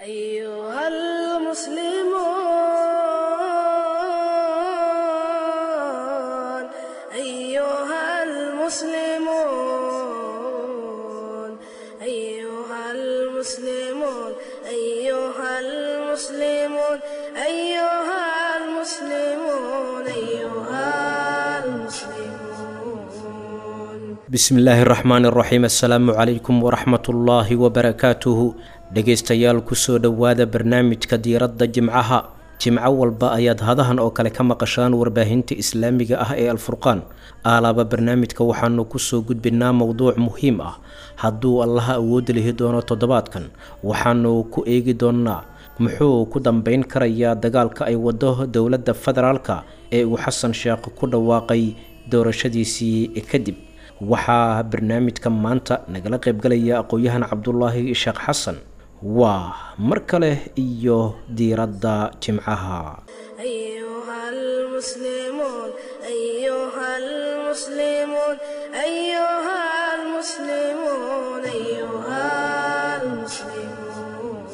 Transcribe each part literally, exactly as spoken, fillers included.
أيها المسلمون أيها المسلمون أيها المسلمون أيها المسلمون أيها المسلمون أيها المسلمون. Bismillaahi raxmaani raxiim, assalaamu calaykum waraxmatullaahi wabarakaatuhu. Dhegaystayaal, kusoo dhowaada barnaamijka diiradda jimcaha. Jimco walba ayaad hadahan oo kale ka maqashaan warbaahinta islaamiga ah ee Alfurqaan. Aalaaba barnaamijka waxaanu kusoo gudbinaa mowduuc muhiim ah. Hadduu Allaha awood lihi doono, toddobaadkan waxaanu ku eegi doonaa muxuu ku dambeyn karayaa dagaalka ay wado dowladda federaalka ee uu Xasan Sheekh ku dhawaaqay doorashadiisii kadib. Waxaa barnaamijka maanta nagala qaybgalaya aqoon-yahan Cabdulaahi Sheekh Xasan. Waa mar kale iyo diiradda jimcaha. أيها المسلمون أيها المسلمون أيها المسلمون أيها المسلمون.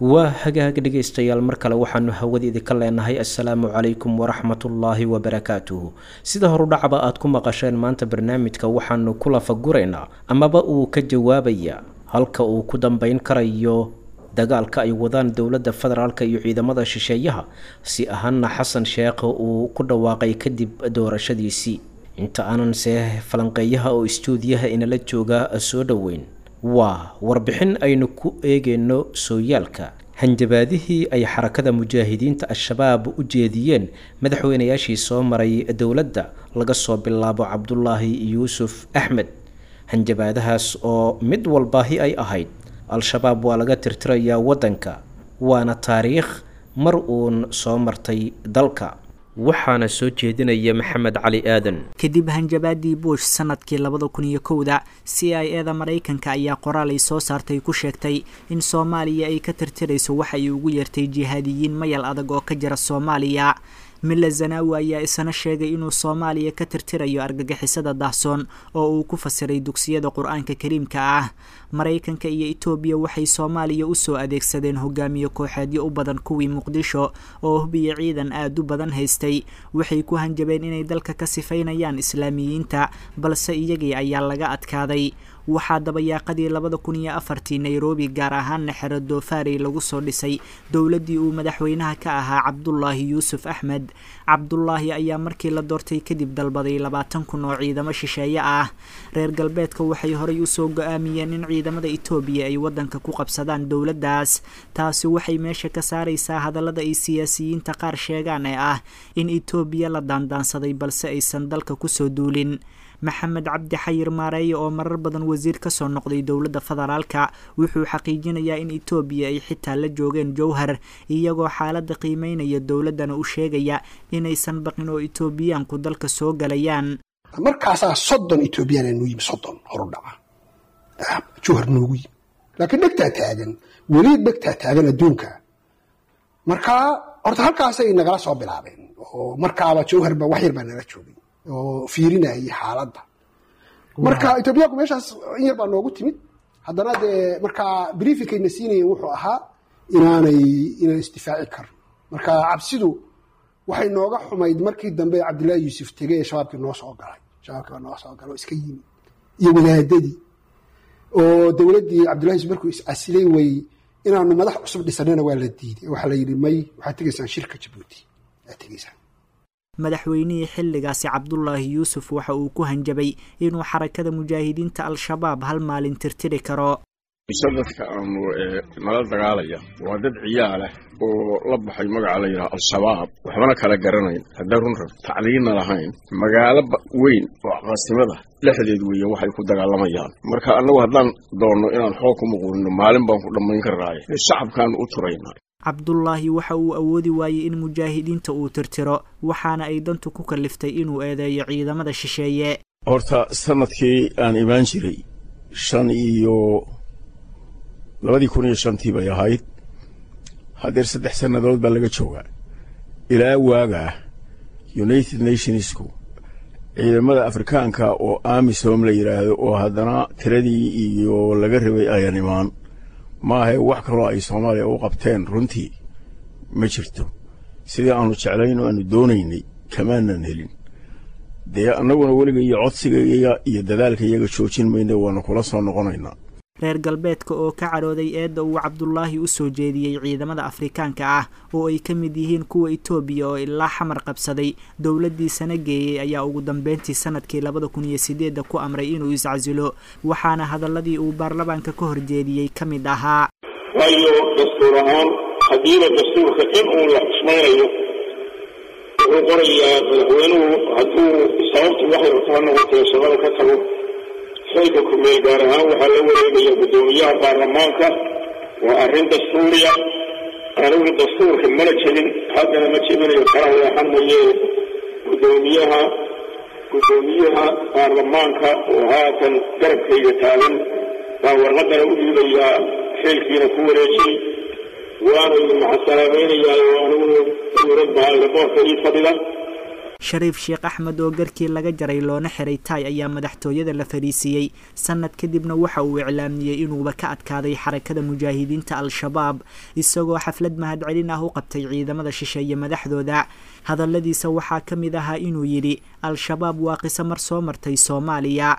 Waa hagaag dhegaystayaal, mar kale waxaanu hawada idinka leenahay assalaamu calaykum waraxmatullaahi wabarakaatuhu. Sida horudhacba aad ku maqasheen, maanta barnaamijka waxaanu ku lafaguraynaa amaba uu ka jawaabaya halka uu ku dambeyn karayo dagaalka ay wadaan dowladda federaalka iyo ciidamada shisheeyaha, si ahaana Xasan Sheekh uu ku dhawaaqay kadib doorashadiisii. Inta aanan see falanqeeyaha oo istuudiyaha inala jooga soo dhoweyn, waa warbixin aynu ku eegeyno sooyaalka hanjabaadihii ay Xarakada Mujaahidiinta Al-Shabaab u jeediyeen madaxweynayaashii soo maray dowladda, laga soo bilaabo Cabdulaahi Yuusuf Axmed. Hanjabaadahaas oo mid walbaahi ay ahayd Al-Shabaab waa laga tirtirayaa waddanka, waana taariikh mar uun soo martay dalka. Waxaana soo jeedinaya Maxamed Cali Aadan. Kadib hanjabaadii Bush sanadkii labada kun iyo kowda, C I A da Maraykanka ayaa qoraal ay soo saartay ku sheegtay in Soomaaliya ay ka tirtirayso waxa ay ugu yeertay jihaadiyiin mayal adag oo ka jira Soomaaliya. Mila Zanawi ayaa isana sheegay inuu Soomaaliya ka tirtirayo argagixisada daahsoon oo uu ku fasiray dugsiyada Qur-aanka Kariimka ah. Maraykanka iyo Itoobiya waxay Soomaaliya usoo adeegsadeen hogaamiye kooxeedyo u badan kuwii Muqdisho oo hubiya ciidan aada u badan haystay. Waxay ku hanjabeen inay dalka ka sifaynayaan Islaamiyiinta, balse iyagii ayaa laga adkaaday. Waxaa dabayaaqadii labada kun iyo afartii Nairobi, gaar ahaana xero Doofaarey, lagu soo dhisay dowladdii uu madaxweynaha ka ahaa Cabdulaahi Yuusuf Axmed. Cabdulaahi ayaa markii la doortay kadib dalbaday labaatan kun oo ciidamo shisheeye ah. Reer galbeedka waxay horay usoo go-aamiyeen in ciidamada Itoobiya ay waddanka ku qabsadaan dowladdaas. Taasi waxay meesha ka saaraysaa hadallada ay siyaasiyiinta qaar sheegaan ee ah in Itoobiya la daandaansaday balse aysan dalka kusoo duulin. Maxamed Cabdi Xayir Maareeye, oo marar badan wasiir kasoo noqday dowladda federaalka, wuxuu xaqiijinayaa in Itoobiya ay xitaa la joogeen Jowhar, iyagoo xaaladda qiimeynaya, dowladdana u sheegaya inaysan baqin oo Itoobiyaanku dalka soo galayaan. Markaasaa soddon Etoobiyaan noo yimi, soddon horu dhaca Jowhar noogu yimi, laakiin dhegtaa taagan, weli dhegtaa taagan adduunka. Markaa horta halkaasay nagala soo bilaabeen, oo markaaba Jowharba wax yar baa nala joogay oo fiirinayay xaaladda. Marka Etoobiyaanku meeshaas in yar baa noogu timid. Haddana dee markaa briefingkayna siinayeen wuxuu ahaa inaanay inaan isdifaaci karno. Marka cabsidu waxay nooga xumayd markii dambe Cabdillahi Yuusuf tegey ee Shabaabkii noo soo galay. Shabaabkii baa noo soo galay oo iska yimid iyo wadaadadii, oo dowladdii Cabdillahi Yuusuf markuu iscasilay way inaanu madax cusub dhisanana waa la diiday. Waxaa la yidhi may, waxaad tegaysaan shirka Jabuuti aad tegaysaan. Madaxweynihii xilligaasi Cabdulaahi Yuusuf waxa uu ku hanjabay inuu Xarakada Mujaahidiinta Al-Shabaab hal maalin tirtiri karo. Mise dadka aanu nala dagaalaya waa dad ciyaalah oo la baxay magaca la yidhaha Al-Shabaab, waxbana kala garanayn, haddaan run rab tacliinna lahayn. Magaalo weyn oo caasimada dhexdeed weeye waxay ku dagaalamayaan. Marka annagu haddaan doonno inaan xoog ku muquulino, maalin baan ku dhammayn karnaaye, shacabkaanu u turaynaa. Cabdulaahi waxa uu awoodi waayey in mujaahidiinta uu tirtiro, waxaana ay dantu ku kaliftay inuu eedeeyo ciidamada shisheeye. Horta sanadkii aan imaan jiray shan iyo labadii kun iyo shantii bay ahayd. Haddeer saddex sannadood baa laga joogaa. Ilaa waagaa United Nationsku ciidamada Afrikaanka oo AMISOM la yidhaahdo, oo haddana tiradii iyo laga rabay ayan imaan. Maahae wax kaloo ay Soomaaliya u qabteen runtii ma jirto. Sidii aanu jeclayn oo aanu doonaynay kamaanan helin. Dee annaguna weliga iyo codsigayaga iyo dadaalka iyaga joojin mayna, waanu kula soo noqonaynaa. Reer galbeedka oo ka cadhooday eedda uu Cabdulaahi u soo jeediyey ciidamada Afrikaanka ah oo ay ka mid yihiin kuwa Itoobiya oo ilaa Xamar qabsaday dowladdiisana geeyey, ayaa ugu dambeyntii sanadkii labada kun iyo sideedda ku amray inuu iscasilo, waxaana hadaladii uu baarlamaanka ka horjeediyey ka mid ahaa: Waayo dastuur ahaan haddiiba dastuurka in uun la xusmaynayo wuxuu qorayaa madaxweynuhu hadduu sababtu waxay rabto ha noqotee shaqada ka tago, xilka kumeel gaar ahaan waxaa la wareegaya guddoomiyaha baarlamaanka. Waa arrin dastuuriya. Anigu dastuurka mana jebin, haddana ma jebinayo, kala leexan mayee. Guddoomiyaha guddoomiyaha baarlamaanka oo haatan garabkayga taagan baa warqadana u dhiibayaa, xilkiina ku wareejiyey, waana idin maxasalaamaynayaa oo aniguna dowlad baa boorka ii fadhida. Shariif Sheekh Axmed oo garkii laga jaray loona xiray taay ayaa madaxtooyada la fadhiisiiyey sanad kadibna waxa uu iclaamiyey inuuba ka adkaaday Xarakada Mujaahidiinta Al-Shabaab, isagoo xaflad mahadcelin ah u qabtay ciidamada shisheeye madaxdooda. Hadalladiisa waxaa ka mid ahaa inuu yidhi: Al-Shabaab waa qiso mar soo martay Soomaaliya.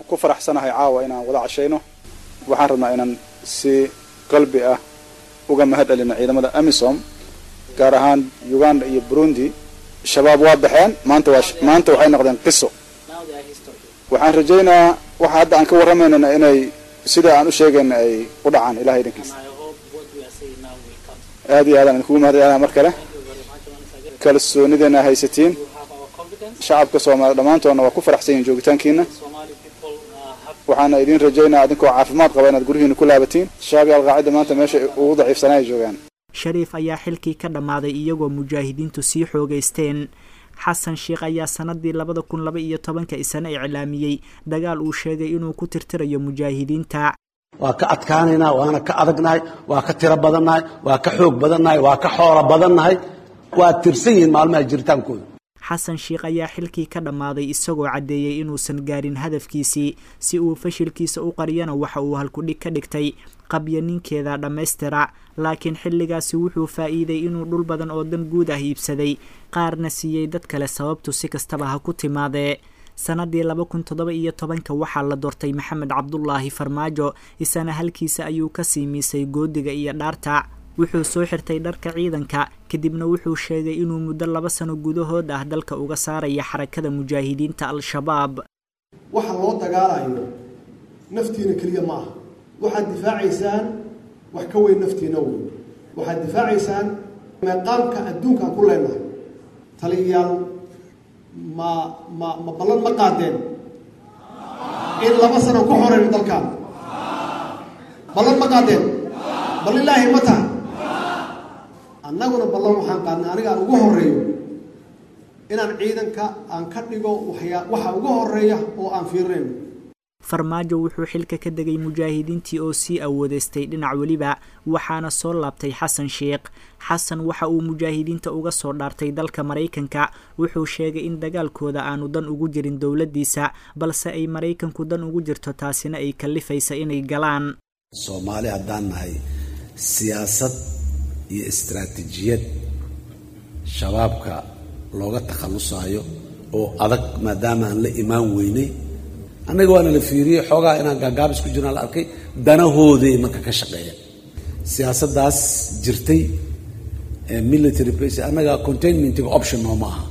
Ku faraxsanahay caawa inaan wada cashayno. Waxaan rabnaa inaan si qalbi ah uga mahad celino ciidamada AMISOM, gaar ahaan Uganda iyo Burundi. Shabaab waa baxeen maanta, waa maanta waxay noqdeen qiso. Waxaan rajaynayaa waxa hadda aan ka warramaynana inay sida aan u sheegayna ay u dhacaan, Ilahay idinkiisa. Aad iyo aadaan idinkugu mahad celinaa mar kale kalsoonideena haysatiin. Shacabka Soomaaliya dhammaantoodna waa ku faraxsan yihin joogitaankiina, waxaana idin rajaynaa adinkoo caafimaad qaba inaad guryihiina ku laabatiin. Shabaab iyo Alqaacida maanta meesha ugu daciifsanaa ay joogaan. Shariif ayaa xilkii ka dhammaaday iyagoo mujaahidiintu sii xoogaysteen. Xasan Sheekh ayaa sanadii labada kun laba iyo tobanka isana iclaamiyey dagaal uu sheegay inuu ku tirtirayo mujaahidiinta. Waa ka adkaanaynaa, waana ka adagnahay, waa ka tiro badannahay, waa ka xoog badannahay, waa ka xoolo badannahay. Waa tirsan yihiin maalmaha jiritaankooda. Xasan Sheekh ayaa xilkii ka dhammaaday isagoo caddeeyey inuusan gaarin hadafkiisii. Si uu fashilkiisa u qariyana waxa uu halkudhig ka dhigtay qabya ninkeeda dhammaystira, laakiin xilligaasi wuxuu faa'iiday inuu dhul badan oo dan guud ah iibsaday, qaarna siiyey dad kale. Sababtu si kastaba ha ku timaadee, sanadii laba kun toddoba iyo tobanka waxaa la doortay Maxamed Cabdulaahi Farmaajo. Isana halkiisa ayuu kasii miisay goodiga iyo dhaarta. Wuxuu soo xirtay dharka ciidanka, kadibna wuxuu sheegay inuu muddo laba sano gudahood ah dalka uga saaraya Xarakada Mujaahidiinta Al-Shabaab. Waxa loo dagaalayo naftiina keliya ma aha. Waxaad difaacaysaan wax ka weyn naftiina weyn. Waxaad difaacaysaan meeqaamka adduunka aan ku leenahay. Taliyayaal, ma ma ma ballan ma qaadeen in laba sano ku xoreyno dalkaan? Ballan ma qaadeen? Bal ilaahi ma taha. Annaguna ballan waxaan qaadnay, aniga aan ugu horeeyo, inaan ciidanka aan ka dhigo waxyaa waxa ugu horeeya oo aan fiirinayno. Farmaajo wuxuu xilka ka degay mujaahidiintii oo sii awoodeystay dhinac weliba, waxaana soo laabtay Xasan Sheekh. Xasan waxa uu mujaahidiinta uga soo dhaartay dalka Maraykanka. Wuxuu sheegay in dagaalkooda aanu dan ugu jirin dowladdiisa, balse ay Maraykanku dan ugu jirto, taasina ay kalifaysa inay galaan. Soomaali haddaan nahay, siyaasad iyo istaraatiijiyad shabaabka looga takhallusaayo oo adag maadaama aan la imaan weynay, annaga waana la fiiriyey, xoogaa inaan gaagaabis ku jirnaa la arkay, danahooday marka ka shaqeeya siyaasaddaas jirtay military base. Annaga containmentiga option nooma aha.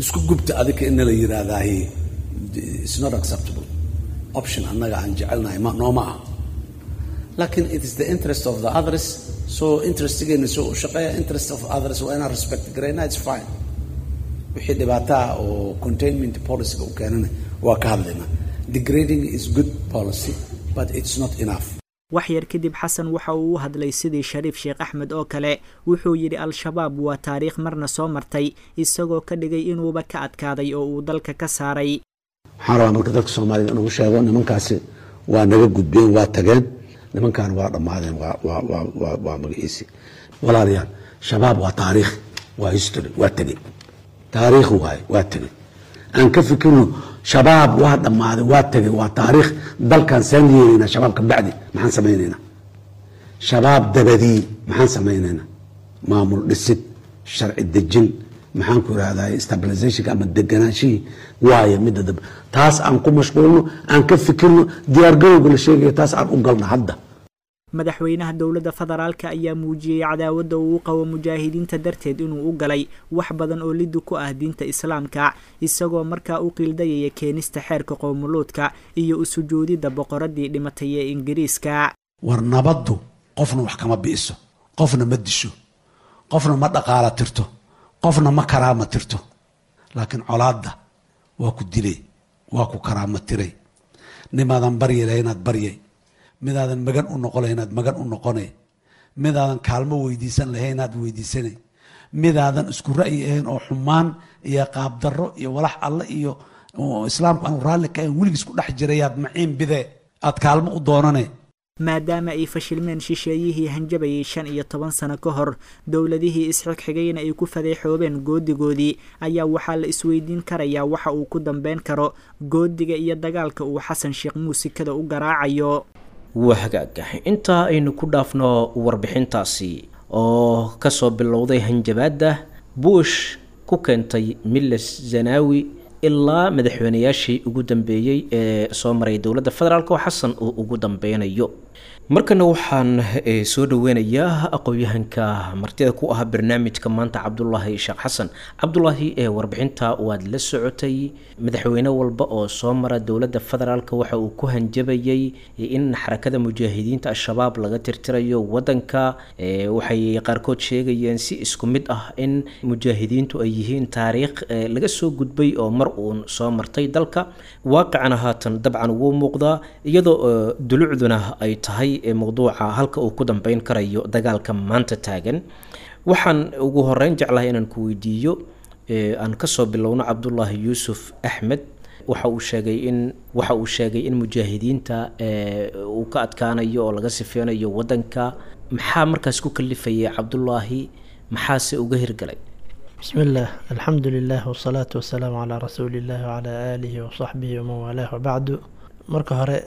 Isku gubta adika in la yiraahdahi it's not acceptable option. Annaga aan jecelnahay ma nooma aha, laakiin it is the interest of the others. So interestigeena soo u shaqeeya interest of others waa inaan respect garayna. It's fine. Wixii dhibaataa oo containment policyga u keenana waa ka hadlaynaa. Degrading is good policy, but it's not enough. Wax yar kadib Xasan waxa uu u hadlay sidii Shariif Sheekh Axmed oo kale. Wuxuu yidhi Al-Shabaab waa taariikh marna soo martay, isagoo ka dhigay inuuba ka adkaaday oo uu dalka ka saaray. Waxaan rabaa marka dadka Soomaalida inuu sheego nimankaasi waa naga gudbeen, waa tageen nimankan, waa dhammaadeen, waa waa waa waa waa magaciisi. Walaalayaal, Shabaab waa taariikh, waa history, waa tegey, taariikh waaye, waa tegey. Aan ka fikirno, Shabaab waa dhammaaday, waa tegey, waa taariikh. Dalkan saan yeelaynaa? Shabaab ka bacdi maxaan samaynaynaa? Shabaab dabadii maxaan samaynaynaa? Maamul dhisid, sharci dejin, maxaan ku irahdaa, stabilizationka ama deganaanshihii waayo midda dab taas aan ku mashquulno, aan ka fikirno diyaargarowga la sheegayo, taas aan u galno hadda. Madaxweynaha dowladda federaalka ayaa muujiyey cadaawadda uu u qabo mujaahidiinta darteed inuu u galay wax badan oo liddi ku ah diinta islaamka, isagoo markaa u qiildayaya keenista xeerka qowmuluudka iyo u sujuudidda boqoradii dhimatay ee Ingiriiska. War nabaddu qofna wax kama bi'iso, qofna ma disho, qofna ma dhaqaala tirto, qofna ma karaama tirto, laakiin colaadda waa ku dilay, waa ku karaama tiray. Nimaadan baryi lahaynaad baryay, midaadan magan u noqon lahaynaad magan u noqonay, midaadan kaalmo weydiisan lahaynaad weydiisanay, midaadan isku ra'yi ahayn oo xumaan iyo qaabdarro iyo walax alle iyo islaamku aanu raalli ka ahayn weligiis ku dhex jirayaad maciin bidee aad kaalmo u doonanay. Maadaama ay fashilmeen shisheeyihii hanjabayay shan iyo toban sano ka hor, dowladihii isxigxigayna ay ku fadeexoobeen goodigoodii, ayaa waxaa la isweydiin karayaa waxa uu ku dambeyn karo goodiga iyo dagaalka uu Xasan Sheekh muusikada u garaacayo. Waa hagaag, intaa aynu ku dhaafno warbixintaasi oo kasoo bilowday hanjabaadda Bush ku keentay Miles Zanawi ilaa madaxweynayaashii ugu dambeeyey ee soo maray dowladda federaalk oo Xasan uu ugu dambeynayo. Markana waxaan soo dhaweynayaa aqoon-yahanka martida ku ah barnaamijka maanta, Cabdulaahi Sheekh Xasan. Cabdulaahi, ee warbixinta waad la socotay. Madaxweyne walba oo soo mara dowladda federaalk waxa uu ku hanjabayay in xarakada mujaahidiinta Al-Shabaab laga tirtirayo wadanka. Waxay qaarkood sheegayeen si isku mid ah in mujaahidiintu ay yihiin taariikh laga soo gudbay oo mar uun soo martay dalka. Waaqicana haatan dabcan wuu muuqdaa, iyadoo dulucduna ay tahay mowduuca halka uu ku dambeyn karayo dagaalka maanta taagan. Waxaan ugu horeyn jeclahay inaan ku weydiiyo, aan kasoo bilowno Cabdulaahi Yuusuf Axmed. Waxa uu sheegay in waxa uu sheegay in mujaahidiinta uu ka adkaanayo oo laga sifeynayo wadanka. Maxaa markaas ku kalifayay Cabdulaahi, maxaase uga hirgalay? بسم الله، الحمد لله، والصلاة والسلام على رسول الله وعلى آله وصحبه ومن والاه، وبعد. Marka hore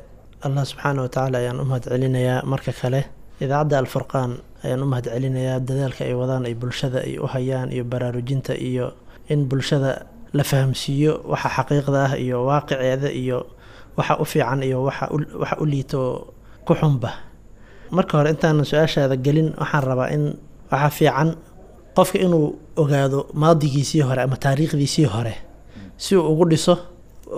Allah subxaana watacaala ayaan u mahad celinayaa. Marka kale idaacadda Alfurqaan ayaan u mahad celinayaa dadaalka ay wadaan, ay bulshada ay u hayaan, iyo baraarujinta, iyo in bulshada la fahamsiiyo waxa xaqiiqda ah iyo waaqiceeda iyo waxa u fiican iyo waxa waxa u liito ku xunba. Marka hore, intaanan su-aashaada gelin, waxaan rabaa in waxa fiican qofka inuu ogaado maadigiisii hore ama taariikhdiisii hore si uu ugu dhiso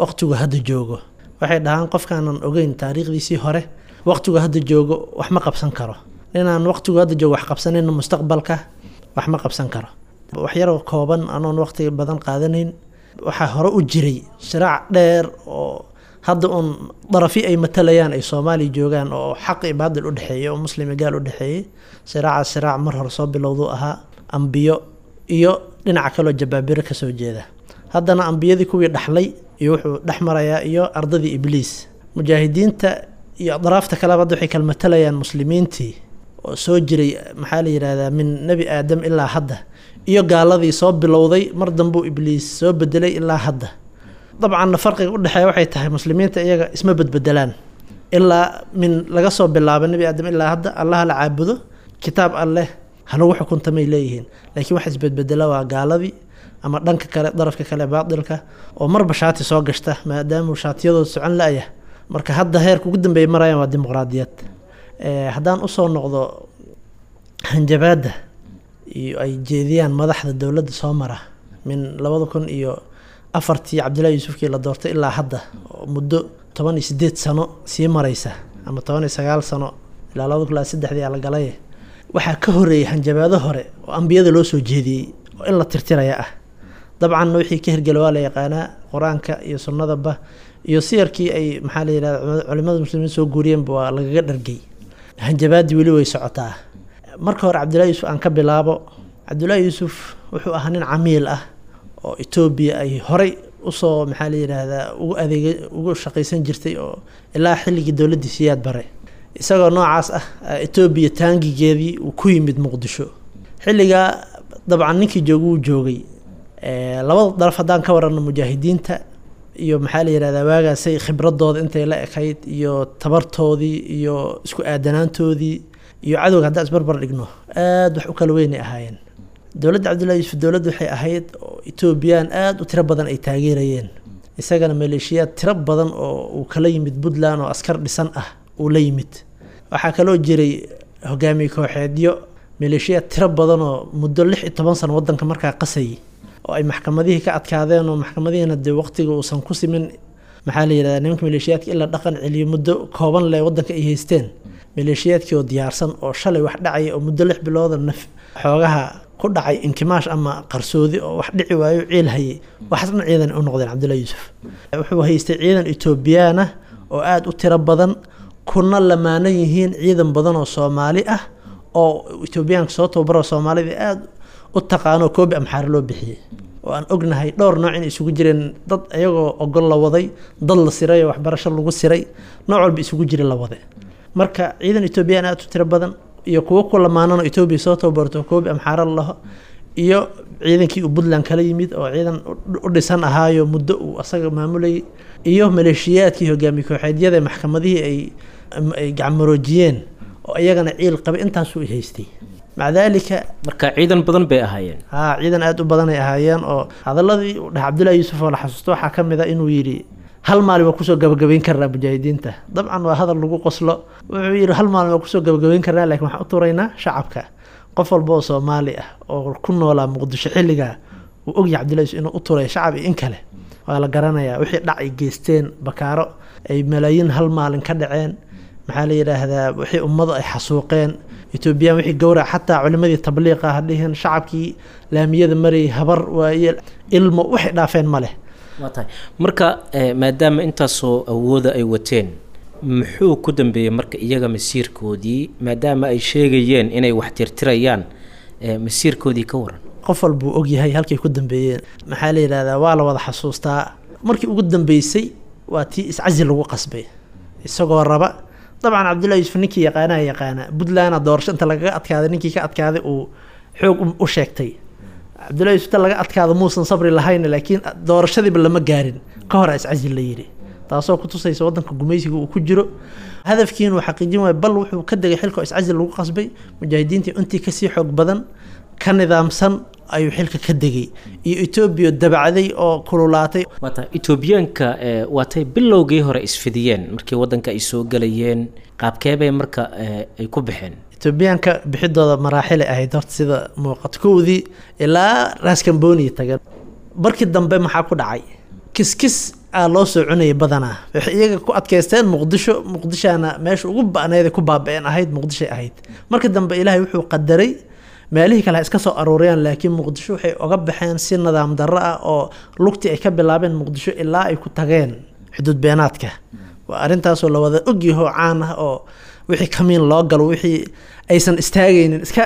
waqtigu hadda joogo. Waxay dhahaan, qofkaanan ogeyn taariikhdiisii hore waqtigu hadda joogo wax ma qabsan karo, ninaan waqtigu hadda joogo wax qabsanayna mustaqbalka wax ma qabsan karo. Wax yaroo kooban, anoon waqti badan qaadanayn, waxaa hore u jiray siraac dheer oo hadda uun darafi ay matalayaan ay Soomaaliya joogaan, oo xaq iyo baadil u dhexeeyay, oo muslim iyo gaal u dhexeeyay. Siraaca siraac mar hore soo bilowduu ahaa, ambiyo iyo dhinaca kaloo jabaabiro kasoo jeeda. Haddana ambiyadii kuwii dhaxlay iyo wuxuu dhex marayaa iyo ardadii Ibliis. Mujaahidiinta iyo adraafta kaleba hadda waxay kala matalayaan muslimiintii oo soo jiray, maxaa la yidhahdaa, min Nebi Aadam ilaa hadda, iyo gaaladii soo bilowday mar dambuu Ibliis soo bedelay ilaa hadda. Dabcanna farqiga udhexeeya waxay tahay, muslimiinta iyaga isma bedbedelaan ilaa min laga soo bilaabo Nebi Aadam ilaa hadda. Allaha la caabudo, kitaab Alleh ha lagu xukuntamay leeyihiin. Laakiin waxa isbedbedela waa gaaladii ama dhanka kale, darafka kale, baatilka oo marba shaati soo gashta, maadaamuu shaatiyadooda socon la-ya. Marka hadda heerka ugu dambeeya marayaan waa dimuqraadiyad. Haddaan usoo noqdo hanjabaadda iyo ay jeediyaan madaxda dowladda soo mara min labada kun iyo afartii Cabdillahi Yuusufkii la doortay ilaa hadda, oo muddo toban iyo sideed sano sii mareysa ama toban iyo sagaal sano, ilaa labada kun ilaa saddexdii la galay, waxaa ka horeeyay hanjabaado hore oo ambiyada loo soo jeediyey oo in la tirtiraya ah. Dabcanna wixii ka hirgela waa la yaqaanaa, qur-aanka iyo sunnadaba iyo siyarkii ay, maxaa la yidhahda, culimada muslimiin soo guuriyeenba waa lagaga dhargay. Hanjabaadii weli way socotaa. Marka hore Cabdillahi Yuusuf aan ka bilaabo. Cabdullaahi Yuusuf wuxuu ahaa nin camiil ah oo Etoobiya ay horay usoo, maxaa la yidhaahdaa, ugu adeega, ugu shaqaysan jirtay oo ilaa xilligii dowladdii Siyaad Bare. Isagoo noocaas ah, Etoobiya taangigeedii uu ku yimid Muqdisho xilligaa. Dabcan ninkii jooga wuu joogay. Labada daraf haddaan ka warano, mujaahidiinta iyo, maxaa la yidhahdaa, waagaasay khibradooda intay la ekayd iyo tabartoodii iyo isku aadanaantoodii Iyo cadowga haddaan isbarbar dhigno, aada wax u kala weynay ahaayeen. Dowladda Cabdullahi Yuusuf dowladda waxay ahayd oo Etoobiyaan aada u tiro badan ay taageerayeen, isagana maleeshiyaad tiro badan oo uu kala yimid Puntland oo askar dhisan ah uu la yimid. Waxaa kaloo jiray hogaamiye kooxeedyo, maleeshiyaad tiro badan oo muddo lix iyo toban sano wadanka markaa qasayay, oo ay maxkamadihii ka adkaadeen, oo maxkamadihiina dee waqtiga uusan ku simin, maxaa la yidhahdaa, nimanka maleeshiyaadka in la dhaqan celiyo muddo kooban leh wadanka ay haysteen. Maleeshiyaadkii oo diyaarsan oo shalay wax dhacaya oo muddo lix bilooda naf xoogaha ku dhacay inkimaash ama qarsoodi oo wax dhici waayo ciil hayay, waxaas dhan ciidan u noqdeen. Cabdullahi Yuusuf wuxuu haystay ciidan Etoobiyaan ah oo aada u tiro badan, kuna lamaanan yihiin ciidan badan oo Soomaali ah oo Etoobiyaanka soo tababaro, Soomaalida aada u taqaano, Koobi Amxaar loo bixiyey, oo aan ognahay dhowr nooc inay isugu jireen: dad iyagoo ogol la waday, dad la siray oo waxbarasho lagu siray, nooc walba isugu jira la waday. Marka ciidan Etoobiyaan aada u tiro badan iyo kuwo ku lamaanan oo Etoobiya soo tababarto, Koobi Amxaara la laho, iyo ciidankii uu Puntland kala yimid oo ciidan u dhisan ahaayo muddo uu asaga maamulayay, iyo maleeshiyaadkii hogaamiye kooxeedyada ee maxkamadihii ay ay gacmaroojiyeen oo iyagana ciil qabay, intaasuu haystay. Maca daalika marka ciidan badan bay ahaayeen. Haa, ciidan aada u badan ay ahaayeen. Oo hadaladii uu dhahay Cabdullahi Yuusuf oo la xasuusto waxaa ka mid a inuu yidhi: "Hal maalin waa kusoo gabagabayn karnaa mujaahidiinta." Dabcan waa hadal lagu qoslo. Wuxuu yidhi: "Hal maalin waa kusoo gabagabayn karnaa, laakiin waxaan u turaynaa shacabka." Qof walba oo Soomaali ah oo ku noolaa Muqdisho xilligaa uu ogyahay Cabdullahi Yuusuf inuu u turay shacab iyo in kale waa la garanayaa. Wixii dhac ay geysteen, bakaaro ay malaayiin hal maalin ka dhaceen, maxaa la yidhaahdaa, wixii ummadu ay xasuuqeen Etoobiyaan, wixii gowrac, xataa culimadii tabliiqa ha dhihin, shacabkii laamiyada marayay, habar waaye ilmo, waxay dhaafeen ma leh. Waa tahay. Marka maadaama intaasoo awooda ay wateen, muxuu ku dambeeyey marka iyaga masiirkoodii, maadaama ay sheegayeen inay wax tirtirayaan? Masiirkoodii ka waran. Qof walbuu ogyahay halkay ku dambeeyeen. Maxaa la yidhahdaa, waa la wada xasuustaa. Markii ugu dambeysay waa tii iscasi lagu qasbay isagoo raba. Dabcan Cabdullahi Yuusuf ninkii yaqaanaha yaqaana, Puntlandna doorasho inta lagaga adkaaday, ninkii ka adkaaday uu xoog u sheegtay. Cabdullahi Yuusuf inta laga adkaado muusan sabri lahayn, laakiin doorashadiiba lama gaarin ka hor iscasi la yidhi, taasoo ku tusaysa wadanka gumaysiga uu ku jiro. Hadafkiin uu xaqiijin waayo, bal wuxuu ka degay xilka oo iscasi lagu qasbay. Mujaahidiintii intii kasii xoog badan, ka nidaamsan ayuu xilka ka degay, iyo Etoobiya dabacday oo kululaatay. Waa tahay. Etoobiyaanka waatay bilowgii hore isfidiyeen markii waddanka ay soo gelayeen, qaabkeebay marka ay ku baxeen? Etoobiyaanka bixidooda maraaxilay ahayd horta sida muuqato. Kowdii ilaa Raskamboni tageen. Markii dambe maxaa ku dhacay? Kiskis aa loo soo cunayay badanaa. Waxay iyaga ku adkaysteen Muqdisho, Muqdishaana meesha ugu ba'need ku baaba'een ahayd, Muqdishay ahayd. Markii dambe Ilaahay wuxuu qadaray meelihii kale ha iska soo aruuriyaan, laakiin Muqdisho waxay oga baxeen si nidaam darro ah, oo lugtii ay ka bilaabeen Muqdisho ilaa ay ku tageen xuduud beenaadka. Waa arrintaasoo la wada ogyaho, caan ah, oo wixii kamiin loo galo, wixii aysan istaagaynin, iska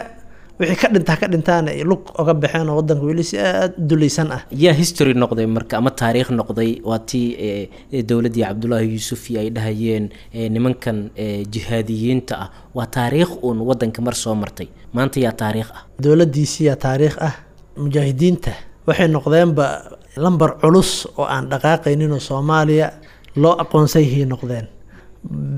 wixii ka dhintaa ka dhintaana ay lug oga baxeen, oo wadanka weli si aada u dulaysan ah. Yaa history noqday marka ama taariikh noqday? Waa tii dowladdii Cabdullaahi Yuusuf iyo ay dhahayeen nimankan jihaadiyiinta ah waa taariikh uun wadanka mar soo martay. Maanta yaa taariikh ah? Dowladdiisiyaa taariikh ah. Mujaahidiinta waxay noqdeenba lambar culus oo aan dhaqaaqaynin oo Soomaaliya loo aqoonsayhay noqdeen,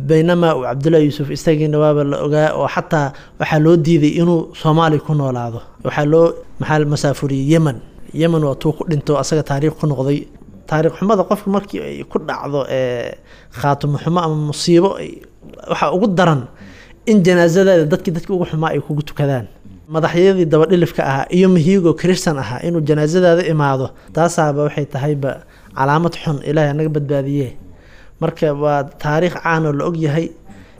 baynamaa uu Cabdullahi Yuusuf isagiina waaba la ogaa, oo xataa waxaa loo diiday inuu Soomaaliya ku noolaado. Waxaa loo maxaa masaafuriyey Yemen. Yemen waa tuu ku dhinto, asaga taariikh ku noqday. Taariikh xumada qofka markii ay ku dhacdo khaatimo xumo ama musiibo, waxaa ugu daran in janaasadaada dadkii dadkii ugu xumaa ay kugu tukadaan, madaxyadii dabadhilifka ahaa iyo mihiigo kristan ahaa inuu janaasadaada imaado. Taasaaba waxay tahayba calaamad xun, Ilaahay naga badbaadiye. Marka waa taariikh caan oo la ogyahay.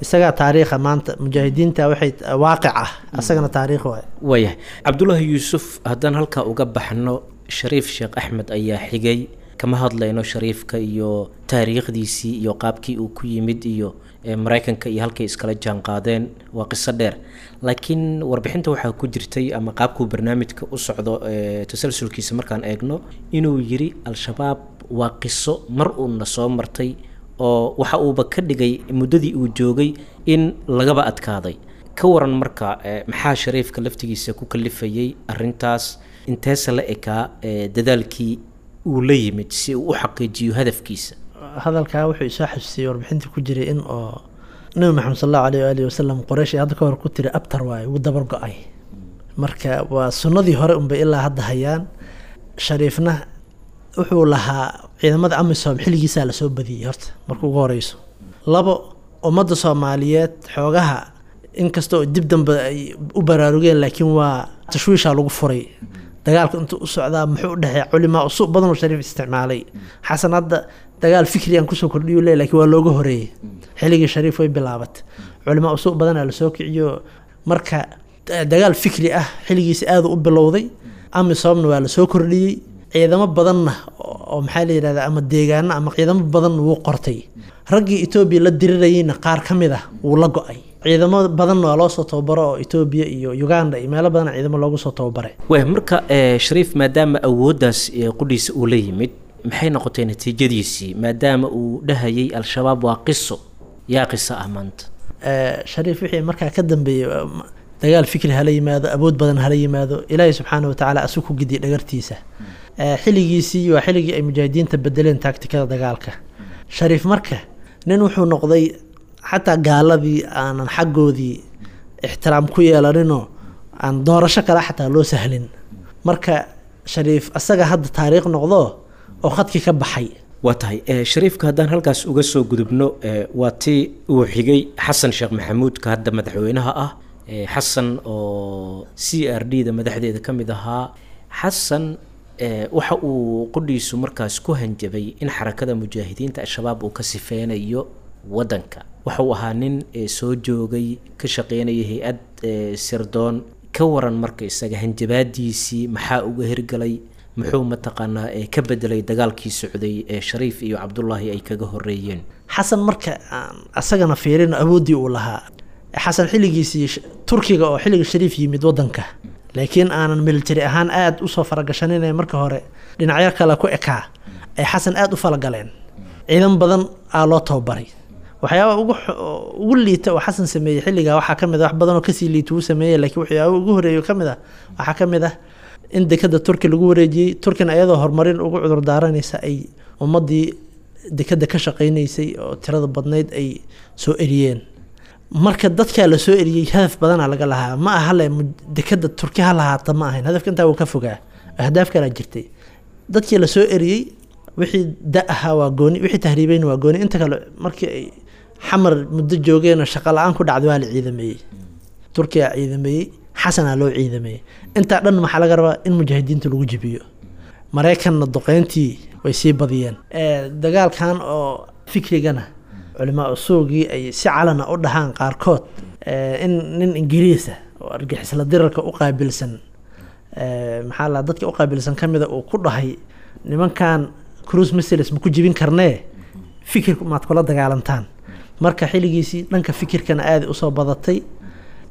Isagaa taariikha maanta, mujaahidiinta waxay waaqic ah, asagana taariikh waay. Waayahay. Cabdullaahi Yuusuf haddaan halkaa uga baxno, Shariif Sheekh Axmed ayaa xigay. Kama hadlayno Shariifka iyo taariikhdiisii iyo qaabkii uu ku yimid iyo Maraykanka iyo halkay iskala jaan qaadeen, waa qiso dheer. Laakiin warbixinta waxaa ku jirtay, ama qaabkuu barnaamijka u socdo tasalsulkiisa markaan eegno, inuu yiri Al-Shabaab waa qiso mar uuna soo martay, oo waxa uuba ka dhigay muddadii uu joogay in lagaba adkaaday. Ka waran marka, maxaa Shariifka laftigiisa ku kalifayay arrintaas? Inteese la ekaa dadaalkii uu la yimid si uu u xaqiijiyo hadafkiisa? Hadalkaa wuxuu isoo xasuusiyey warbixinta ku jiray in oo Nabi Maxamed sal allahu aleyh waalihi wasalam Qoreysh ay hadda ka hor ku tiri abtar waaye, wuu dabar go-ay. Marka waa sunnadii hore unbay ilaa hadda hayaan. Shariifna wuxuu lahaa ciidamada AMISOM xilligiisaa lasoo badiyey horta marka ugu horeyso. Labo, ummadda Soomaaliyeed xoogaha inkastoo dib dambe ay u baraarugeen, laakiin waa tashwiishaa lagu furay dagaalka intuu u socdaa. Muxuu u dhexeeya culimaa usuuq badan oo Shariif isticmaalay. Xasan hadda dagaal fikri aan kusoo kordhiyu leey, laakiin waa looga horeeyey. Xilligii Shariif way bilaabatay, culimaa usuuq badanaa lasoo kiciyo. Marka dagaal fikri ah xilligiisa aada u bilowday, AMISOMna waa lasoo kordhiyey, ciidamo badanna oo maxaa la yidhahdaa ama deegaano ama ciidamo badanna wuu qortay. Raggii Etoobiya la dirirayeyna qaar ka mid ah wuu la go-ay, ciidamo badanna waa loo soo tababaro oo Etoobiya iyo Uganda iyo meelo badan ciidamo loogu soo tababaray. Waay, marka Shariif maadaama awooddaas qudhiisa uu la yimid, maxay noqotay natiijadiisii, maadaama uu dhahayay Al-Shabaab waa qiso? Yaa qiso ah maanta? Shariif wixii markaa ka dambeeyey, dagaal fikri hala yimaado, awood badan hala yimaado, Ilaahay subxaana watacaala asu ku gidiyay dhagartiisa. Xilligiisii waa xilligii ay mujaahidiinta bedeleen taagtikada dagaalka. Shariif marka nin wuxuu noqday xataa gaaladii aanan xaggoodii ixtiraam ku yeelaninoo aan doorasho kale xataa loo sahlin. Marka Shariif asaga hadda taariikh noqdo oo khadkii ka baxay. Waa tahay. Shariifka haddaan halkaas uga soo gudubno, waa tii uu xigay Xasan Sheekh Maxamuudka hadda madaxweynaha ah, Xasan oo C R D da madaxdeeda ka mid ahaa. Xasan waxa uu qudhiisu markaas ku hanjabay in xarakada mujaahidiinta Al-Shabaab uu ka sifeynayo waddanka. Waxa uu ahaa nin soo joogay, ka shaqeynaya hay-ad sirdoon. Ka waran marka isaga hanjabaadiisii, maxaa uga hirgalay? Muxuu mataqaanaa ka bedelay dagaalkii socday ee Shariif iyo Cabdullaahi ay kaga horeeyeen? Xasan marka aan asagana fiirino awooddii uu lahaa Xasan xilligiisii, Turkiga oo xilliga Shariif yimid waddanka, laakiin aanan military ahaan aada usoo faragashaninay, marka hore dhinacyo kale ku ekaa, ay Xasan aada u falagaleen, ciidan badan aa loo tababaray. Waxyaaba ugu ugu liita oo Xasan sameeyey xilligaa waxaa ka mid ah, wax badan oo kasii liita uu sameeyey, laakiin waxyaaba ugu horeeyo ka mid ah waxaa ka mid ah in dekada Turki lagu wareejiyey. Turkina iyadoo horumarin ugu cudur daaranaysa ay ummaddii dekada ka shaqeynaysay oo tirada badnayd ay soo eriyeen. Marka dadkaa la soo eriyey hadaf badanaa laga lahaa, ma aha le dekada Turki ha lahaata, ma ahayn hadafka, intaa wuu ka fogaa, ahdaaf kalaa jirtay. Dadkii la soo eriyey wixii da ahaa waa gooni, wixii tahriibeyna waa gooni. Inta kale markii ay Xamar muddo joogeenoo shaqo la-aan ku dhacday waa la ciidameeyey, Turkiyaa ciidameeyey, Xasanaa loo ciidameeyey. Intaa dhan maxaa laga rabaa? In mujaahidiinta lagu jibiyo. Maraykanna duqeyntii way sii badiyeen. Dagaalkan oo fikrigana culimaa usuugii ay si calana u dhahaan qaarkood in nin Ingiriisa oo argixisla dirarka u qaabilsan, maxaa la dadka u qaabilsan ka mida, uu ku dhahay nimankan cruise missiles ma ku jibin karnee, fikirku maad kula dagaalantaan. Marka xilligiisii dhanka fikirkana aada usoo badatay,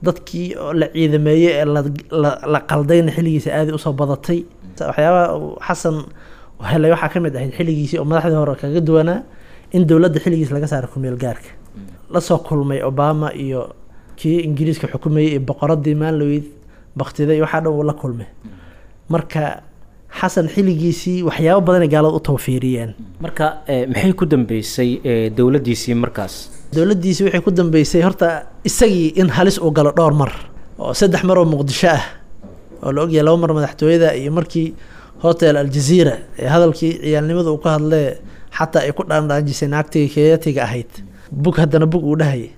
dadkii oo la ciidameeyey ee la la qaldayna xilligiisa aada usoo badatay. Waxyaabaha Xasan helay waxaa ka mid ahayd xilligiisii oo madaxdii hore kaga duwanaa in dowladda xilligiis laga saaro kumeel gaarka. Lasoo kulmay Obama iyo kii Ingiriiska xukumayay iyo boqoradii Maanloweyd baktiday, waxaa dhan uu la kulmay. Marka Xasan xilligiisii waxyaabo badanay gaalada u tawfiiriyeen. Marka maxay ku dambeysay dowladdiisii markaas? Dowladdiisii waxay ku dambeysay horta isagii in halis uu galo dhowr mar, oo saddex mar oo Muqdisho ah oo la ogyahay, laba mar madaxtooyada iyo markii Hotel Aljazeera ee hadalkii ciyaalnimada uu ka hadlee xataa ay ku dhaandhaanjisay naagtiga Kenyatiga ahayd, bug haddana bug uu dhahayay.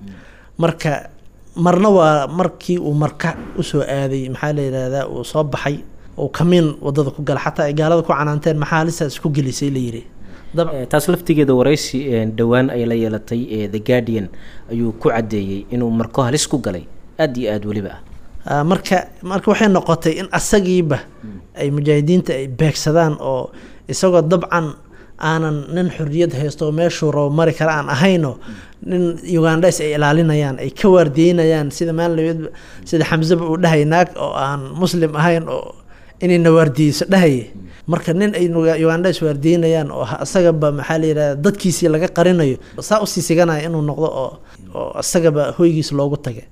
Marka marna waa markii uu marka usoo aaday, maxaa la yidhaahdaa, uu soo baxay uu kamiin wadada ku gala, xataa ay gaalada ku canaanteen maxaa halistaas isku gelisay la yiri. Taas laftigeeda waraysi dhowaan ay la yeelatay The Guardian ayuu ku caddeeyey inuu marko halis ku galay aada iyo aada weliba ah. Marka marka waxay noqotay in asagiiba ay mujaahidiinta ay beegsadaan, oo isagoo dabcan aanan nin xorriyad haysto oo meeshuu rabo mari kara aan ahayno, nin Ugandhes ay ilaalinayaan, ay ka waardiyeynayaan, sida maalinlaweed sida Xamseba uu dhahay naag oo aan muslim ahayn oo inayna waardiyeyso dhahaya. Marka nin ay Ugandhes waardiyeynayaan oo isagaba maxaa la yidhahda dadkiisii laga qarinayo saa usii siganaya inuu noqdo oo oo isagaba hoygiis loogu tagay.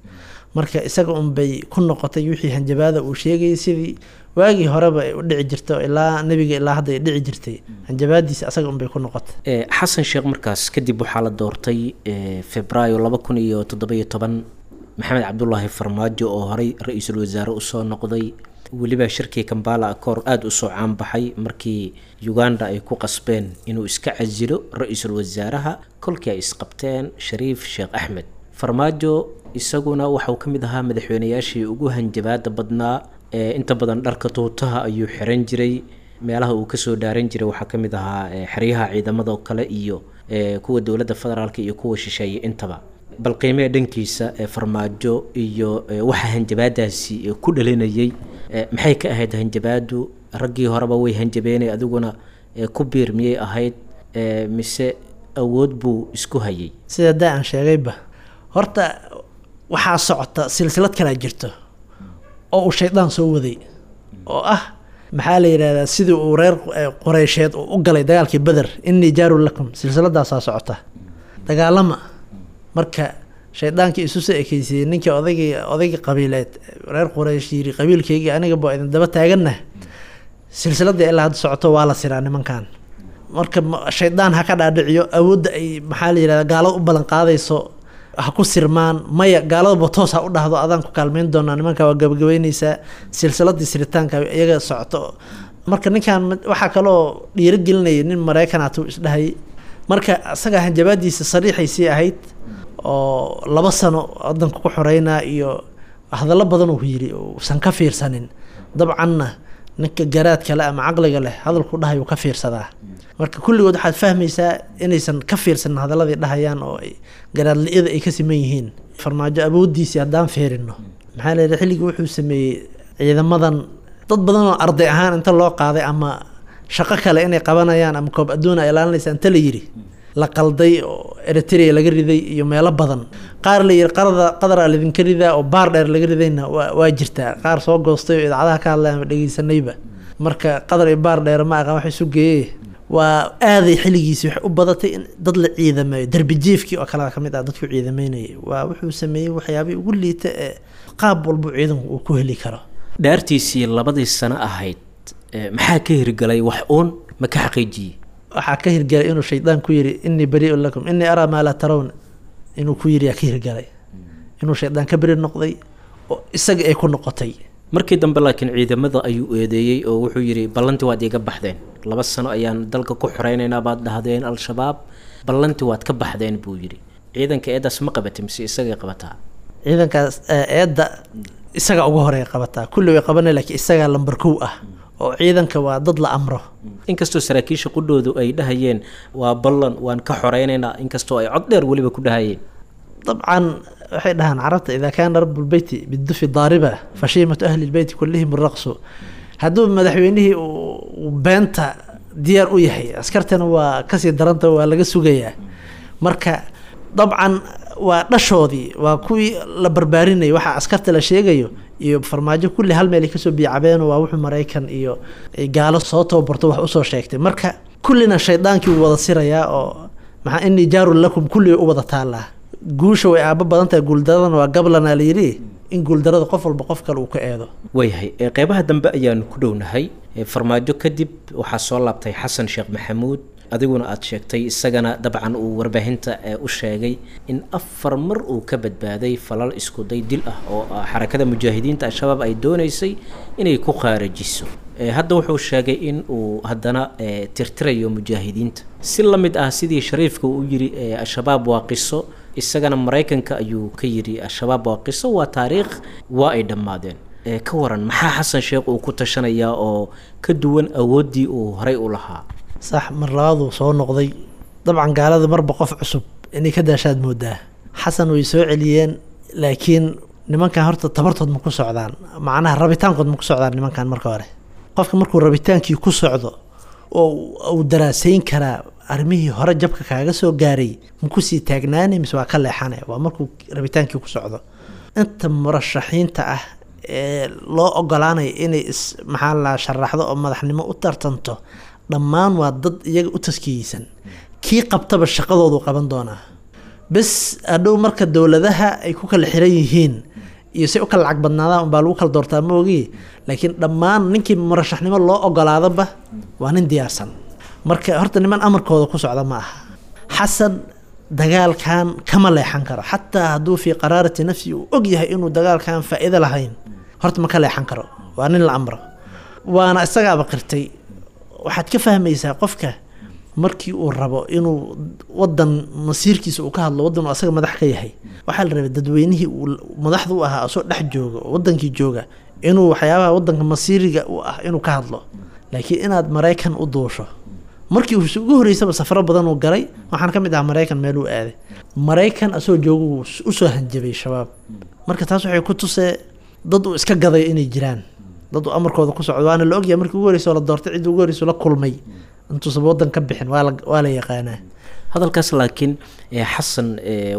Marka isaga unbay ku noqotay wixii hanjabaada uu sheegayay, sidii waagii horeba ay u dhici jirto ilaa nebiga ilaa hadda ay dhici jirtay, hanjabaadiisa asaga unbay ku noqotay. Xasan Sheekh markaas kadib waxaa la doortay Febraayo laba kun iyo toddoba-iyo toban Maxamed Cabdulaahi Farmaajo oo horey ra-iisul wasaare usoo noqday, weliba shirkii Kambala Accord aada usoo caanbaxay markii Uganda ay ku qasbeen inuu iska casilo ra-iisul wasaaraha kolkii ay isqabteen Shariif Sheekh Axmed. Farmaajo isaguna waxauu ka mid ahaa madaxweynayaashii ugu hanjabaada badnaa, inta badan dharka tuutaha ayuu xiran jiray, meelaha uu kasoo dhaaran jiray waxaa ka mid ahaa xeryaha ciidamada oo kale iyo kuwa dowladda federaalka iyo kuwa shisheeye intaba. Bal qiimee dhankiisa Farmaajo iyo waxa hanjabaadaasi ku dhalinayay, maxay ka ahayd hanjabaadu? Raggii horeba way hanjabeenay, adiguna ku biir miyay ahayd mise awood buu isku hayay? Sida daa aan sheegayba, horta waxaa socota silsilad kalaa jirto oo uu shaydaan soo waday, oo ah maxaa la yidhahdaa, sidii uu reer Qureysheed uu u galay dagaalkii Beder, innii jaarun lakum, silsiladaasaa socota dagaalama. Marka shaydaankii isu soo ekeysiiyey ninkii odaygii odaygii qabiileed reer Quraysh yiri qabiilkaygii aniga baa idin daba taaganna, silsiladii ilaa hadda socoto waa la siraa nimankan. Marka shaydaan ha ka dhaadhiciyo awoodda ay maxaa la yidhahdaa gaalada u ballan qaadayso ha ku sirmaan, maya gaaladaba toos ha u dhahdo adaan ku kaalmeyn doonaa nimanka, waa gabagabeyneysaa silsiladii siritaanka iyaga socoto. Marka ninkan waxaa kaloo dhiirigelinaya nin Maraykan hatuu isdhahayay. Marka isaga hanjabaadiisa sariixaysii ahayd oo laba sano wadanka ku xoreynaa iyo hadallo badan uu yiri uusan ka fiirsanin. Dabcanna ninka garaadka leh ama caqliga leh hadalku dhahay uu ka fiirsadaa. Marka kulligood waxaad fahmaysaa inaysan ka fiirsanin hadaladii dhahayaan oo ay garaad li'ida ay ka siman yihiin. Farmaajo awooddiisii haddaan fiirino, maxaa la yidhi, xilligii wuxuu sameeyey ciidamadan dad badan oo arday ahaan inta loo qaaday ama shaqo kale inay qabanayaan ama koob adduun ay ilaalinaysa inta la yidhi la qalday oo Eritrea laga riday iyo meelo badan, qaar la yidhi qarada qadaraa laydinka ridaa oo baar dheer laga ridayna waa waa jirtaa, qaar soo goostay oo idaacadaha ka hadlaya ama dhegeysanayba. Marka qadar iyo baar dheer ma aqaan wax isu geeyey, waa aaday xilligiisii waxay u badatay in dad la ciidameeyo, derbi jiifkii oo kale ka mid ah dadku ciidameynayay. Waa wuxuu sameeyey waxyaabihii ugu liita ee qaab walbu ciidanku uu ku heli karo. Dhaartiisii labadii sano ahayd maxaa ka hirgalay? Wax uun ma ka xaqiijiyey? Waxaa ka hirgalay inuu shaydaan ku yiri innii barii'un lakum innii araa maa laa tarawna, inuu ku yiri yaa ka hirgalay, inuu shaydaan ka beri noqday oo isaga ay ku noqotay. Markii dambe laakiin ciidamada ayuu eedeeyey oo wuxuu yidhi ballanti waad iiga baxdeen, laba sano ayaan dalka ku xoreynaynaa baad dhahdeen Al-Shabaab, ballanti waad ka baxdeen buu yidhi. Ciidanka eedaas ma qabatay mise isagay qabataa? Ciidankaas eedda isaga ugu horeey qabataa, kulli way qabanay, laakiin isagaa lambar kow ah oo ciidanka waa dad la amro. Inkastoo saraakiisha qudhoodu ay dhahayeen waa ballan waan ka xoreynaynaa, inkastoo ay cod dheer weliba ku dhahayeen. Dabcan waxay dhahaan carabta idaa kaana rabu lbeyti bidufi daariba fashiimatu ahli lbeyti kullihim raqsu. Hadduu madaxweynihii uu beenta diyaar u yahay, askartana waa kasii daranta, waa laga sugayaa. Marka dabcan waa dhashoodii, waa kuwii la barbaarinayay waxaa askarta la sheegayo iyo Farmaajo kulli hal meel ay kasoo biicabeen, waa wuxuu Maraykan iyo gaalo soo tababarto wax usoo sheegtay. Marka kullina shaydaankii wuu wada sirayaa oo maxaa innii jaarun lakum kulli way u wada taallaa. Guusha way aaba badan tahay, guuldaradana waa gablana la yidhi, in guuldarada qof walba qof kale uu ka eedo. Waayahay, qeybaha dambe ayaanu ku dhownahay. Farmaajo kadib waxaa soo laabtay Xasan Sheekh Maxamuud, adiguna aada sheegtay isagana dabcan uu warbaahinta u sheegay in afar mar uu ka badbaaday falal iskuday dil ah oo xarakada mujaahidiinta Al-Shabaab ay dooneysay inay ku khaarajiso. Hadda wuxuu sheegay in uu haddana tirtirayo mujaahidiinta si la mid ah sidii Shariifka uu yiri Al-Shabaab waa qiso, isagana Maraykanka ayuu ka yidhi Al-Shabaab waa qiso, waa taariikh, waa ay dhammaadeen. Ka waran maxaa Xasan Sheekh uu ku tashanayaa oo ka duwan awooddii uu horay u lahaa? Sax, mar labaaduu soo noqday. Dabcan gaalada marba qof cusub inay ka daashaad moodaa. Xasan way soo celiyeen, laakiin nimankan horta tabartood ma ku socdaan, macnaha rabitaankood ma ku socdaan nimankan. Marka hore qofka markuu rabitaankii ku socdo oo uu daraasayn karaa arrimihii hore jabka kaaga soo gaaray ma kusii taagnaanay mise waa ka leexanay, waa markuu rabitaankii ku socdo. Inta murashaxiinta ah ee loo ogolaanayo inay is maxaa la sharaxdo oo madaxnimo u tartanto, dhammaan waa dad iyaga u taskiyeysan, kii qabtaba shaqadoodu qaban doonaa. Bes hadhow marka dowladaha ay ku kala xiran yihiin Iyo si u kala lacag badnaadaan unbaa lagu kala doortaa, ma ogi. Laakiin dhammaan ninkii murashaxnimo loo ogolaadaba waa nin diyaarsan. Marka horta niman amarkooda ku socda ma aha. Xasan dagaalkan kama leexan karo, xataa hadduu fii qaraarati nafsi uu og yahay inuu dagaalkan faa'iido lahayn, horta ma ka leexan karo, waa nin la amro, waana isagaaba qirtay. Waxaad ka fahmaysaa qofka markii uu rabo inuu wadan masiirkiisa uu ka hadlo, wadan uu asaga madax ka yahay, waxaa la rabay dadweynihii uu madaxda u ahaa asoo dhex jooga oo wadankii jooga inuu waxyaabaha wadanka masiiriga u ah inuu ka hadlo. Laakiin inaad Maraykan u duusho, markii uu ugu horeysaba safaro badan uu galay, waxaan ka mid ahaa Maraykan meel uu aaday, Maraykan asoo jooga uu usoo hanjabay Shabaab. Marka taas waxay ku tusee dad uu iska gaday inay jiraan, dad uu amarkooda ku socdo, waana la ogyahay. Markii ugu horeysa oo la doortay, cidda ugu horeysa la kulmay intuusan wadan ka bixin waa la waa la yaqaanaa. Hadalkaas laakiin Xasan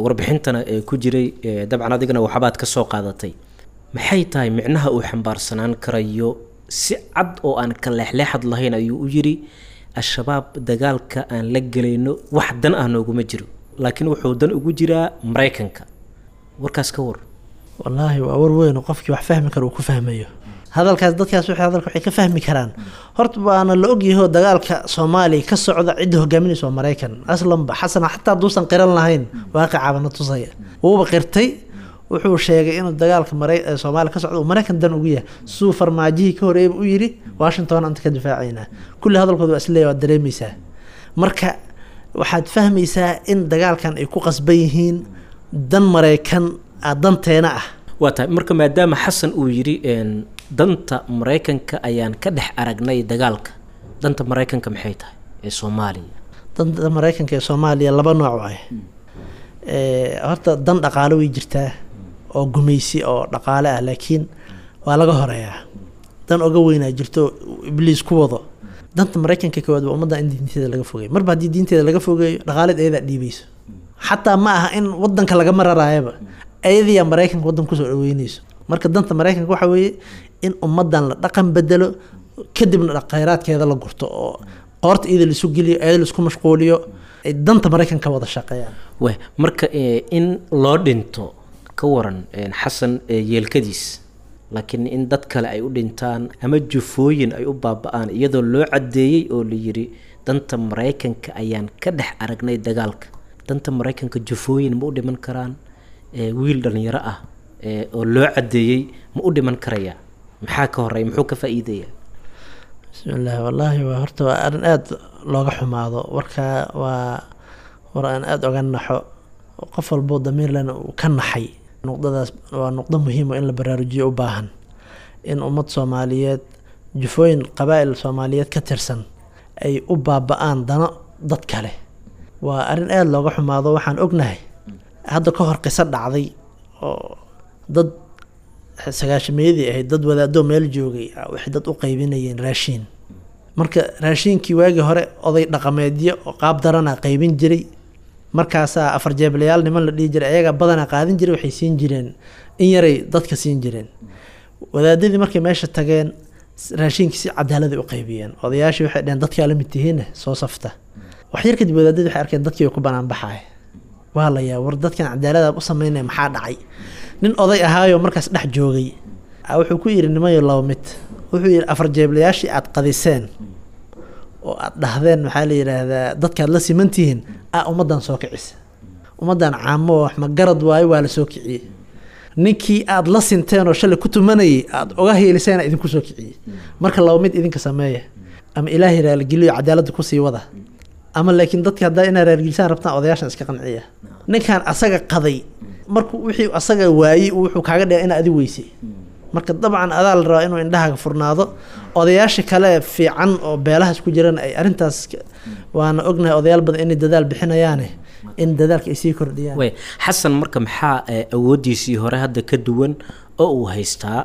warbixintana ku jiray, dabcan adigana waxbaad ka soo qaadatay, maxay tahay micnaha uu xambaarsanaan karayo? Si cad oo aan ka leexleexad lahayn ayuu u yidhi Al-Shabaab dagaalka aan la gelayno wax dan ah nooguma jiro, laakiin wuxuu dan ugu jiraa Maraykanka. Warkaas ka war. Wallaahi waa war weyn oo qofkii wax fahmi kara uu ku fahmayo hadalkaas. Dadkaas waxay hadalka waxay ka fahmi karaan, horta waana la ogyahay dagaalka Soomaaliya ka socda cidda hogaaminaysa waa Maraykan aslanba. Xasan xataa hadduusan qiran lahayn, waaqicaba na tusaya, wuuba qirtay. Wuxuu sheegay inuu dagaalka Mara Soomaaliya ka socda uu Maraykan dan ugu yahay, siduu Farmaajihii ka horeeyba u yidhi Washington anta ka difaacaynaa. Kulli hadalkooda waa isleeyahay, waad dareemaysaa. Marka waxaad fahmaysaa in dagaalkan ay ku qasban yihiin dan Maraykan ah danteena ah. Waa tahay. Marka maadaama Xasan uu yidhi danta Maraykanka ayaan ka dhex aragnay dagaalka, danta Maraykanka maxay tahay ee Soomaaliya? Danta Maraykanka ee Soomaaliya laba nooc waay. Horta dan dhaqaale way jirtaa oo gumaysi oo dhaqaale ah, laakiin waa laga horeeyaa. Dan oga weynaa jirto Ibliis ku wado. Danta Maraykanka koowaad waa ummadda in diinteeda laga fogeeyo. Marba haddii diinteeda laga fogeeyo, dhaqaaleed ayadaa dhiibayso. Xataa ma aha in wadanka lagama raraayaba, ayadiyaa Maraykanka waddanka kusoo dhaweyneyso. Marka danta Maraykanka waxa weeye in ummaddan la dhaqan bedelo, kadibna khayraadkeeda la gurto oo qoorta iyada laisu geliyo, iyada laisku mashquuliyo, ay danta Maraykanka wada shaqeeyaan. We marka in loo dhinto ka waran Xasan yeelkadiis, laakiin in dad kale ay u dhintaan ama jufooyin ay u baaba-aan iyadoo loo caddeeyey oo la yidhi danta Maraykanka ayaan ka dhex aragnay dagaalka, danta Maraykanka jufooyin ma u dhiman karaan? Wiil dhalinyaro ah oo loo caddeeyey ma u dhiman karaya? Maxaa ka horeya? Muxuu ka faa'iidaya? Bismillahi, wallaahi waa horta waa arrin aada looga xumaado warkaa, waa war aan aada oga naxo, qof walboo damiir lena uu ka naxay. Nuqdadaas waa nuqdo muhiim oo in la baraarujiyo u baahan, in ummad Soomaaliyeed, jufooyin qabaa'il Soomaaliyeed ka tirsan ay u baaba-aan dano dad kale, waa arrin aada looga xumaado. Waxaan ognahay hadda ka hor qiso dhacday oo dad sagaashameeyadii ahayd, dad wadaadoo meel joogay waxay dad u qaybinayeen raashiin. Marka raashiinkii waagii hore oday dhaqameedyo oo qaab darana qaybin jiray. Markaasaa afar jeeblayaal niman la dhihi jiray ayagaa badanaa qaadin jiray, waxay siin jireen in yaray dadka siin jireen. Wadaadadii markay meesha tageen raashiinkii si cadaaladay u qaybiyeen. Odayaashii waxay dheheen dadkaa la mid tihiinne soo safta. Wax yar kadib wadaadadii waxay arkeen dadkii way ku banaan baxaay. Waa la yaa war dadkan cadaalada u sameynaya, maxaa dhacay? Nin oday ahaayo markaas dhex joogay wuxuu ku yidhi nimayo laba mid. Wuxuu yidhi afar jeeblayaashii aad qadiseen oo aad dhahdeen maxaa la yidhaahdaa dadkaad la siman tihiin a ummaddan soo kicisa, ummaddan caamo wax ma garad waayo, waa la soo kiciyey. Ninkii aad la sinteen oo shalay ku tumanayay aad oga hiiliseen idinku soo kiciyey. Marka laba mid idinka sameeya: ama Ilaahay raaligeliyo cadaaladda kusii wada, ama laakiin dadka haddaa inaa raaligelisaan rabtaan odayaashan iska qanciya. Ninkan asaga qaday markuu wixii asaga waayey wuxuu kaaga dhigay inaa adi weysay. Marka dabcan adaa la rabaa inuu indhahaaga furnaado, odayaasha kale fiican oo beelahaas ku jirana ay arrintaas, waana ognahay odayaal badan inay dadaal bixinayaane, in dadaalka ay sii kordhiyaan. Way Xasan marka maxaa awooddiisii hore hadda ka duwan oo uu haystaa?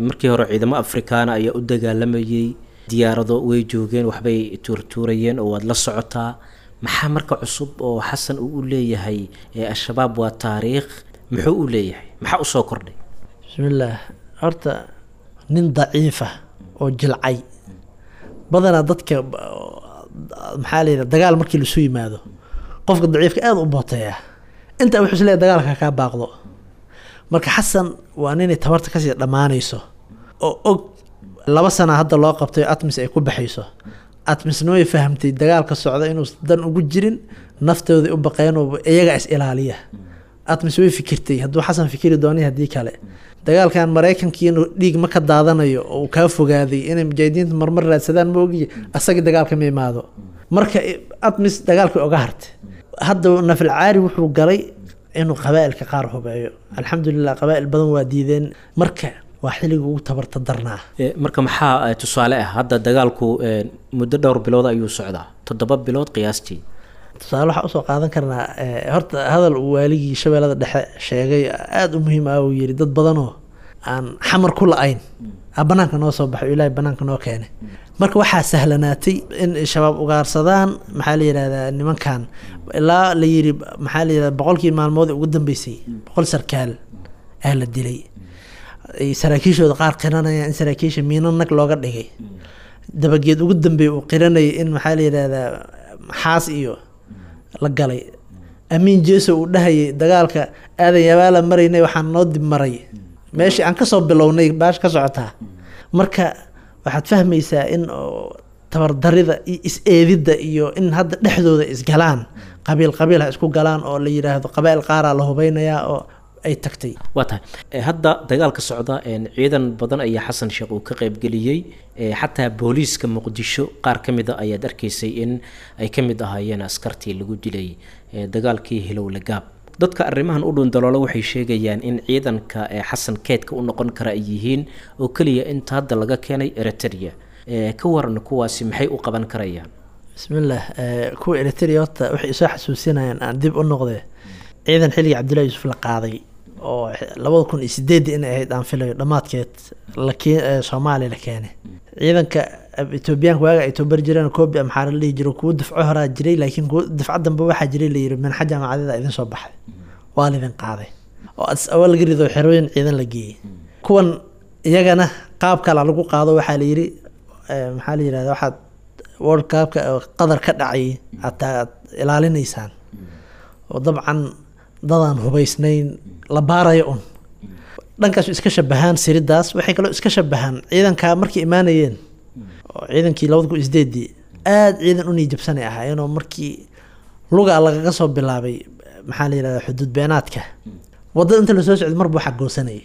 Markii hore ciidamo Afrikaana ayaa u dagaalamayey, diyaarado way joogeen, waxbay tuurtuurayeen oo waad la socotaa. Maxaa marka cusub oo Xasan uu u leeyahay Al-Shabaab waa taariikh? Muxuu u leeyahay? Maxaa usoo kordhay? Bismillaah, horta nin daciifa oo jilcay badanaa dadka maxaa la yidhaha dagaal markii lasu yimaado qofka daciifka aada u booteeya, inta wuxuu isleeyahay dagaalka kaa baaqdo. Marka Xasan waa ninay tabarta kasii dhammaanayso oo og laba sana hadda loo qabtay ATMIS ay ku baxayso. ATMISna way fahamtay dagaalka socda inuu dan ugu jirin, naftooda u baqeen oo iyaga is ilaaliya. ATMIS way fikirtay hadduu Xasan fikiri doonay haddii kale dagaalkan Maraykankiina dhiig ma ka daadanayo oo uu kaa fogaaday inay mujaahidiinta marmar raadsadaan ma ogiye, asaga dagaalka ma imaado. Marka ATMIS dagaalkii oga hartay. Hadda nafil caari wuxuu galay inuu qabaa'ilka qaar hubeeyo. Alxamdulilah qabaa'il badan waa diideen. Marka waa xilliga ugu tabarta darnaa. Marka maxaa tusaale ah hadda dagaalku muddo dhowr bilood ayuu socdaa, toddoba bilood qiyaastii. Tusaale waxaa usoo qaadan karnaa horta hadal uu waaligii Shabeellada Dhexe sheegay aada u muhiim ah. Uu yiri dad badanoo aan xamar ku la-ayn a banaanka noo soo baxay, Ilaahay banaanka noo keenay. Marka waxaa sahlanaatay in shabaab ugaarsadaan maxaa la yidhahdaa nimankan, ilaa la yiri maxaa la yidhahdaa boqolkii maalmood ugu dambeysay boqol sarkaal ah la dilay. Saraakiishooda qaar qiranaya in saraakiisha miino nag looga dhigay. Dabageed ugu dambeeyay uu qiranayay in maxaa la yidhahdaa xaas iyo la galay. Amiin Jeeso uu dhahayay dagaalka aadan yabaala maraynay waxaan noo dib maray meeshii aan kasoo bilownay baash ka socotaa. Marka waxaad fahmaysaa in tabardarida iyo is-eedidda iyo in hadda dhexdooda isgalaan, qabiil qabiil ha isku galaan oo la yidhaahdo qabaa'il qaaraa la hubeynayaa oo ay tagtay. Waa tahay hadda dagaalka socda ciidan badan ayaa Xasan Sheekh uu ka qaybgeliyey, xataa booliiska Muqdisho qaar ka mid a ayaad arkaysay in ay ka mid ahaayeen askartii lagu dilay dagaalkii Hilowle Gaab. Dadka arrimahan u dhundaloola waxay sheegayaan in ciidanka Xasan keedka u noqon kara ay yihiin oo keliya inta hadda laga keenay Eritrea. Ka waran kuwaasi maxay u qaban karayaan? Bismillaah, kuwa Eritrea horta waxay isoo xasuusinayaan aan dib u noqdee ciidan xilligii Cabdullaahi Yuusuf la qaaday oo labada kun iyo sideedii inay ahayd aan filayo dhammaadkeed lakee Soomaaliya la keenay. Ciidanka Etoobiyaanka waaga ay tababar jireen koobi amxaar la dhihi jiro, kuwo dafco horaa jiray, laakiin kuwo dafco dambe waxaa jiray la yiri minxa jaamacadeeda idin soo baxay waa laidin qaaday oo Addis Ababa laga rido xerooyin ciidan la geeyey. Kuwan iyagana qaab kale lagu qaado waxaa la yiri maxaa la yirahdaa waxaad World Cup-ka Qatar ka dhacay hataa aad ilaalinaysaan oo dabcan dadaan hubaysnayn la baarayo un. Dhankaas iska shabahaan siridaas, waxay kaloo iska shabahaan ciidankaa markay imaanayeen oo ciidankii labada kun iyo sideedii aada ciidan u niijabsanay ahaayeenoo markii luga lagaga soo bilaabay maxaa la yidhahdaa xuduud beenaadka waddada inta lasoo socday marba waxaa goosanayay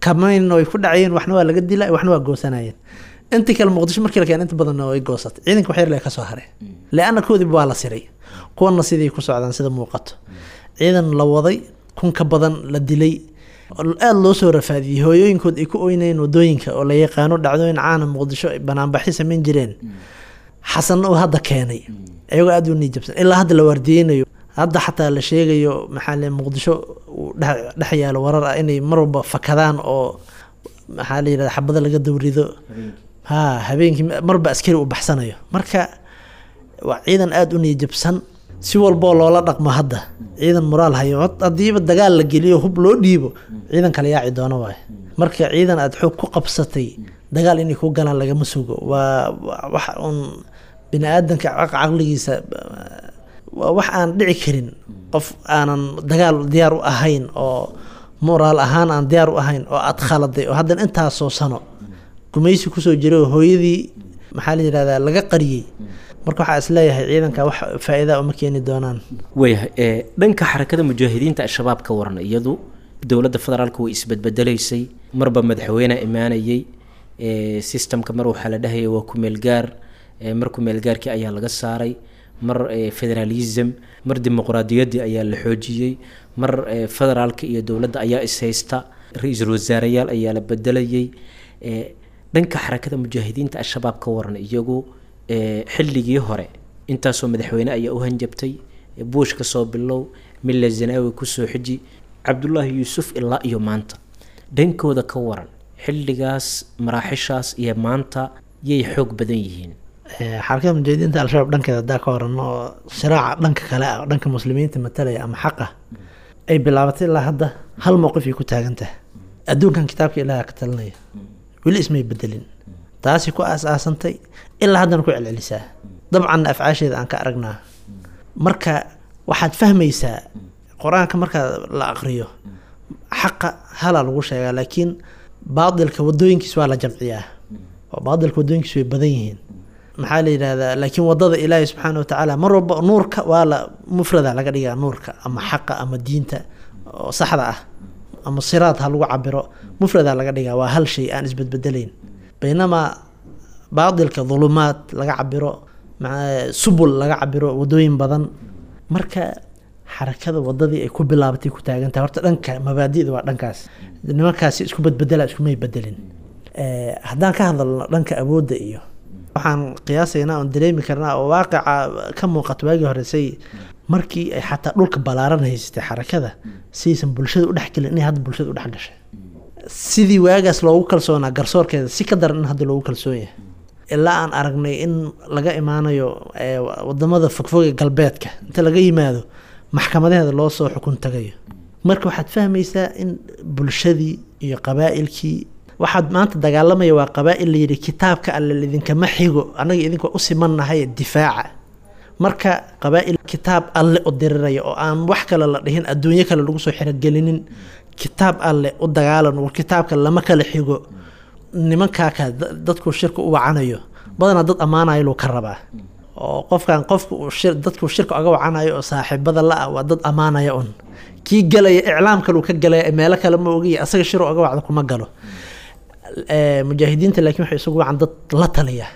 kamayna way ku dhacayeen, waxna waa laga dilay, waxna waa goosanayeen. Intii kale Muqdisho markii la keenay inta badanna way goosatay, ciidanka wax yar lee kasoo haray leanna koodiiba waa la siray. Kuwanna sidii ku socdaan sida muuqato ciidan la waday kun ka badan la dilay, aada loo soo rafaadiyey, hooyooyinkood ay ku oynayeen wadooyinka oo la yaqaano dhacdooyin caana Muqdisho ay banaanbaxyo samayn jireen. Xasanna uu hadda keenay iyagoo aada u niijabsan ilaa hadda la waardiyeynayo. Hadda xataa la sheegayo maxaa le Muqdisho uu dhex yaalo warar ah inay mar walba fakadaan oo maxaa la yidhahda xabada laga dawrido, ha habeenkii marba askari uu baxsanayo. Marka waa ciidan aada u niijabsan si walboo loola dhaqmo. Hadda ciidan moraal hayo haddiiba dagaal la geliyo hub loo dhiibo ciidan kale yaaci doono waayo. Marka ciidan aada xoog ku qabsatay dagaal inay ku galaan lagama sugo, waa wax uun bini aadanka caqligiisa waa wax aan dhici karin. Qof aanan dagaal diyaar u ahayn oo moraal ahaan aan diyaar u ahayn oo aada khaladay oo haddana intaasoo sano gumaysi kusoo jiray oo hooyadii maxaa la yidhahdaa laga qariyey. Marka waxaa is leeyahay ciidanka wax faa'iida uma keeni doonaan. Waayahay, dhanka xarakada mujaahidiinta al-shabaab ka waran, iyadu dowladda federaalka way isbedbedelaysay, marba madaxweyne imaanayay, systemka mar waxaa la dhahayay waa ku-meelgaar, mar ku-meelgaarkii ayaa laga saaray, mar federalism, mar dimuqraadiyaddii ayaa la xoojiyey, mar federaalka iyo dowladda ayaa ishaysta, ra-iisul wasaareyaal ayaa la bedelayay. Dhanka xarakada mujaahidiinta al-shabaab ka waran, iyagu xilligii hore intaasoo madaxweyne ayaa u hanjabtay, Bush ka soo bilow, Mille Zenawi kusoo xiji, Cabdullaahi Yuusuf ilaa iyo maanta, dhankooda ka waran xilligaas maraaxishaas iyo maanta yay xoog badan yihiin? Xarakada mujaahidiinta al-shabaab dhankeeda haddaa ka waran oo siraaca dhanka kale ah, dhanka muslimiinta matalaya ama xaqa ay bilaabatay ilaa hadda hal mowqif ay ku taagan tahay. Adduunkan kitaabka Ilaaha ka talinaya weli ismay bedelin, taasi ku aas-aasantay ilaa haddana ku celcelisaa, dabcanna afcaasheeda aan ka aragnaa. Marka waxaad fahmaysaa qur-aanka marka la aqriyo Xaqa halaa lagu sheegaa, laakiin baadilka wadooyinkiis waa la jamciyaa oo baadilka wadooyinkiis way badan yihiin, maxaa la yidhahdaa. Laakiin wadada Ilaahay subxaana watacaala mar walba nuurka waa la mufrada laga dhigaa, nuurka ama xaqa ama diinta oo saxda ah ama siraad ha lagu cabiro, mufrada laga dhigaa, waa hal shay aan isbedbedelayn. Baynamaa baadilka dhulumaad laga cabiro, subul laga cabiro, wadooyin badan. Marka xarakada wadadii ay ku bilaabatay ku taagantahay horta dhanka mabaadi'da waa dhankaas, nimankaasi isku bedbedela iskumay bedelin. Haddaan ka hadalno dhanka awoodda iyo waxaan qiyaasaynaa oon dareemi karnaa oo waaqica ka muuqato, waagii horesay markii ay xataa dhulka ballaaran haysatay xarakada, sidaysan bulshada u dhexgelin inay hadda bulshada u dhex gashay. Sidii waagaas loogu kalsoonaa garsoorkeeda si ka daran in hadda loogu kalsoon yahay, ilaa aan aragnay in laga imaanayo wadamada fogfog ee galbeedka inta laga yimaado maxkamadaheeda loo soo xukun tagayo. Marka waxaad fahmaysaa in bulshadii iyo qabaa'ilkii waxaad maanta dagaalamaya waa qabaa'il la yidhi kitaabka alle idinkama xigo, annaga idinka u simannahay difaaca. Marka qabaa'il kitaab alle u diriraya oo aan wax kale la dhihin, adduunyo kale lagu soo xirogelinin, kitaab alle u dagaalan, war kitaabka lama kala xigo. Nimankaa ka dadku shirka u wacanayo badanaa dad ammaanayo luu ka rabaa, oo qofkan qofka uu shir dadku shirka oga wacanayo oo saaxiibada la ah waa dad ammaanaya un. Kii galaya iclaam kale uu ka galaya, meelo kale ma ogiya, asaga shir oga wacdo kuma galo. Mujaahidiinta laakiin waxay isugu wacan dad la taliya.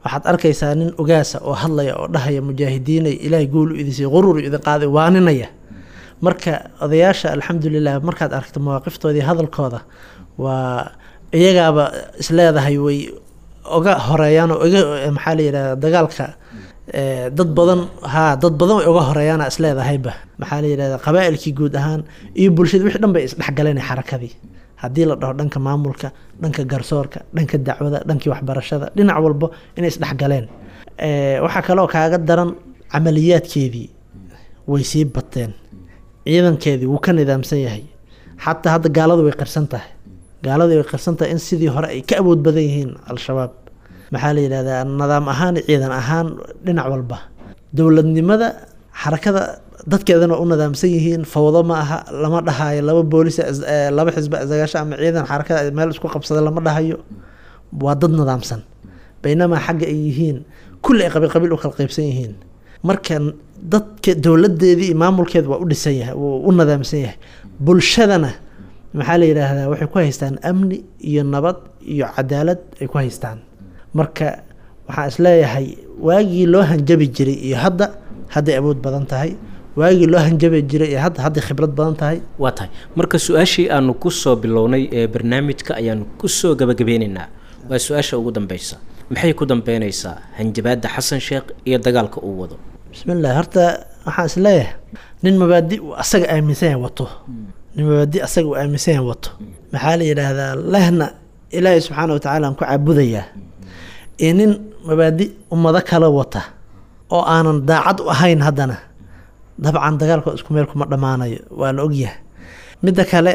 Waxaad arkaysaa nin ogaasa oo hadlaya oo dhahaya mujaahidiinay Ilaahay guul u idin siiyey, quruur idin qaaday, waaninaya. Marka odayaasha alxamdulilah markaad aragto mawaaqiftoodii hadalkooda waa iyagaaba isleedahay way oga horeeyaan oo oga maxaa la yidhahdaa dagaalka dad badan, haa dad badan way oga horeeyaana isleedahayba, maxaa la yidhahdaa qabaa'ilkii guud ahaan iyo bulshada wixii dhan bay isdhexgaleen xarakadii. Haddii la dhaho dhanka maamulka, dhanka garsoorka, dhanka dacwada, dhankii waxbarashada, dhinac walbo inay isdhexgaleen. Waxaa kaloo kaaga daran camaliyaadkeedii way sii bateen, ciidankeedii wuu ka nidaamsan yahay. Xataa hadda gaaladu way qirsan tahay, gaaladu way qirsan tahay in sidii hore ay ka awood badan yihiin Al-Shabaab, maxaa la yidhahdaa nidaam ahaan, ciidan ahaan, dhinac walba. Dowladnimada xarakada dadkeedana waa u nidaamsan yihiin, fawdo ma aha, lama dhahayo laba boolis laba xisba isagaasho ama ciidan xarakada meel isku qabsada lama dhahayo, waa dad nidaamsan. Baynamaa xagga ay yihiin kulli ay qabiil qabiil u kala qaybsan yihiin. Marka dadka dowladeedii iyo maamulkeeda waa u dhisan yahay, wuu u nidaamsan yahay. Bulshadana maxaa la yidhaahdaa waxay ku haystaan amni iyo nabad iyo cadaalad ay ku haystaan. Marka waxaan isleeyahay waagii loo hanjabi jiray iyo hadda hadday awood badan tahay, waagii loo hanjabi jiray iyo hadda hadday khibrad badan tahay. Waa tahay. Marka su-aashii aanu kusoo bilownay ee barnaamijka ayaanu kusoo gabagabeyneynaa, waa su-aasha ugu dambeysa. Maxay ku dambeyneysaa hanjabaadda Xasan Sheekh iyo dagaalka uu wado? Bismillah, horta waxaan isleeyahay nin mabaadi uu asaga aaminsan yahay wato, nin mabaadi asaga uu aaminsan yahay wato, maxaa la yidhaahdaa lehna Ilaahay subxaana watacaala aan ku caabudayaa, iyo nin mabaadi ummado kale wata oo aanan daacad u ahayn, haddana dabcan dagaalka isku meel kuma dhammaanayo, waa la ogyahay. Midda kale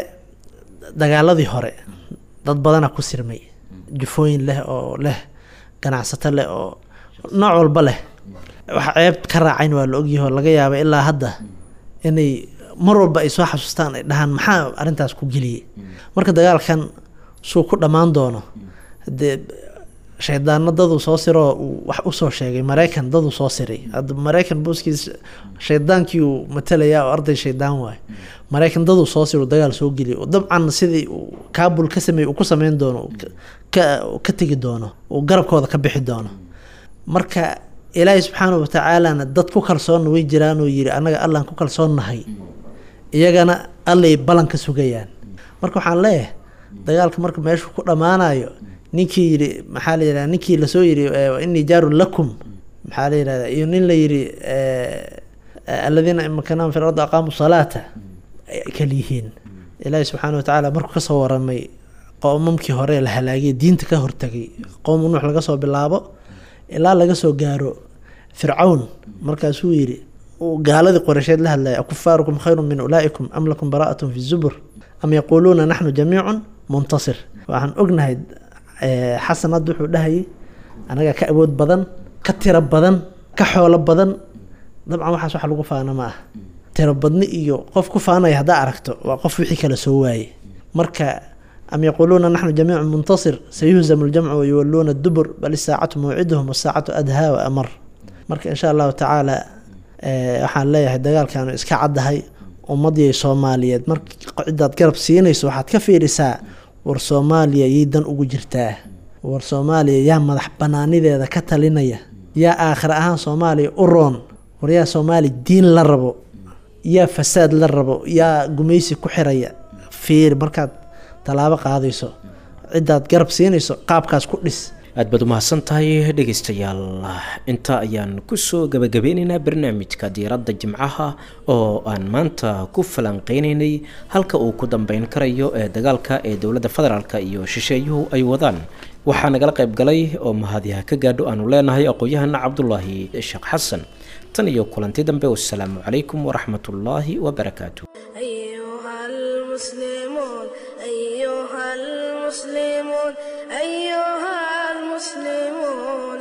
dagaaladii hore dad badana ku sirmay, jufooyin leh oo leh ganacsato leh oo nooc walba leh, wax ceeb ka raacayn waa la ogyahay, oo laga yaaba ilaa hadda inay mar walba ay soo xasuustaan ay dhahaan maxaa arrintaas ku geliyey. Marka dagaalkan suu ku dhammaan doono, dee shaydaano daduu soo siroo uu wax usoo sheegay, Maraykan daduu soo siray, hadda Maraykan booskiis shaydaankii uu matalayaa oo arday shaydaan waayo. Maraykan daduu soo siro dagaal soo geliyay, oo dabcan sidii uu Kaabul ka sameeyey uu ku sameyn doono, ka ka tegi doono, uu garabkooda ka bixi doono. Marka Ilaahay subxaanahu watacaalana dad ku kalsoonna way jiraan oo yidhi annaga Allaan ku kalsoonnahay, iyagana Allay ballan ka sugayaan. Marka waxaan leeyahay dagaalka marka meeshuu ku dhammaanayo, ninkii yidhi maxaa la yidhahdaa, ninkii lasoo yidhi innii jaarun lakum, maxaa la yidhahdaa, iyo nin la yidhi aladiina in makanahum fi lardi aqaamu salaata kal yihiin. Ilaahay subxaana watacaala markuu kasoo waramay qoomamkii hore la halaagay, diinta ka hortagay, qowmu Nuux laga soo bilaabo ilaa laga soo gaaro Fircawn, markaasuu yidhi uu gaaladii Qoreysheed la hadlaya, akufaarukum khayrun min ulaa'ikum am lakum baraa'atun fi zubur am yaquuluuna naxnu jamiicun muntasir. Waxaan ognahay Xasan hadda wuxuu dhahayay anaga ka awood badan, ka tiro badan, ka xoolo badan. Dabcan waxaas wax lagu faano ma ah. Tirobadni iyo qof ku faanaya haddaa aragto, waa qof wixii kala soo waayey. Marka am yaquuluuna naxnu jamiicu muntasir, sayuhzamu ljamcu wayuwaluuna dubur, bal isaacatu mawciduhum wasaacatu adhaa wa amar. Marka insha Allahu tacaala waxaan leeyahay dagaalkaanu iska caddahay ummadii Soomaaliyeed. Marka cidaad garab siinayso waxaad ka fiirisaa, war Soomaaliya yay dan ugu jirtaa? War Soomaaliya yaa madax banaanideeda ka talinaya? Yaa aakhir ahaan Soomaaliya u roon? War yaa Soomaaliya diin la rabo? Yaa fasaad la rabo? Yaa gumaysi ku xiraya? Fiir markaad tallaabo qaadayso, cidaad garab siinayso qaabkaas ku dhis. Aad baad umahadsan tahay. Dhegeystayaal, inta ayaan kusoo gabagabeyneynaa barnaamijka Diiradda Jimcaha oo aan maanta ku falanqeyneynay halka uu ku dambeyn karayo ee dagaalka ee dowladda federaalka iyo shisheeyuhu ay wadaan. Waxaa nagala qayb galay oo mahadyaha ka gaadho aanu leenahay aqoon-yahana Cabdulaahi Sheekh Xasan. Tan iyo kulanti dambe, wassalaamu calaykum waraxmatullaahi wabarakaatu. أيها المسلمون، أيها المسلمون، أيها المسلمون.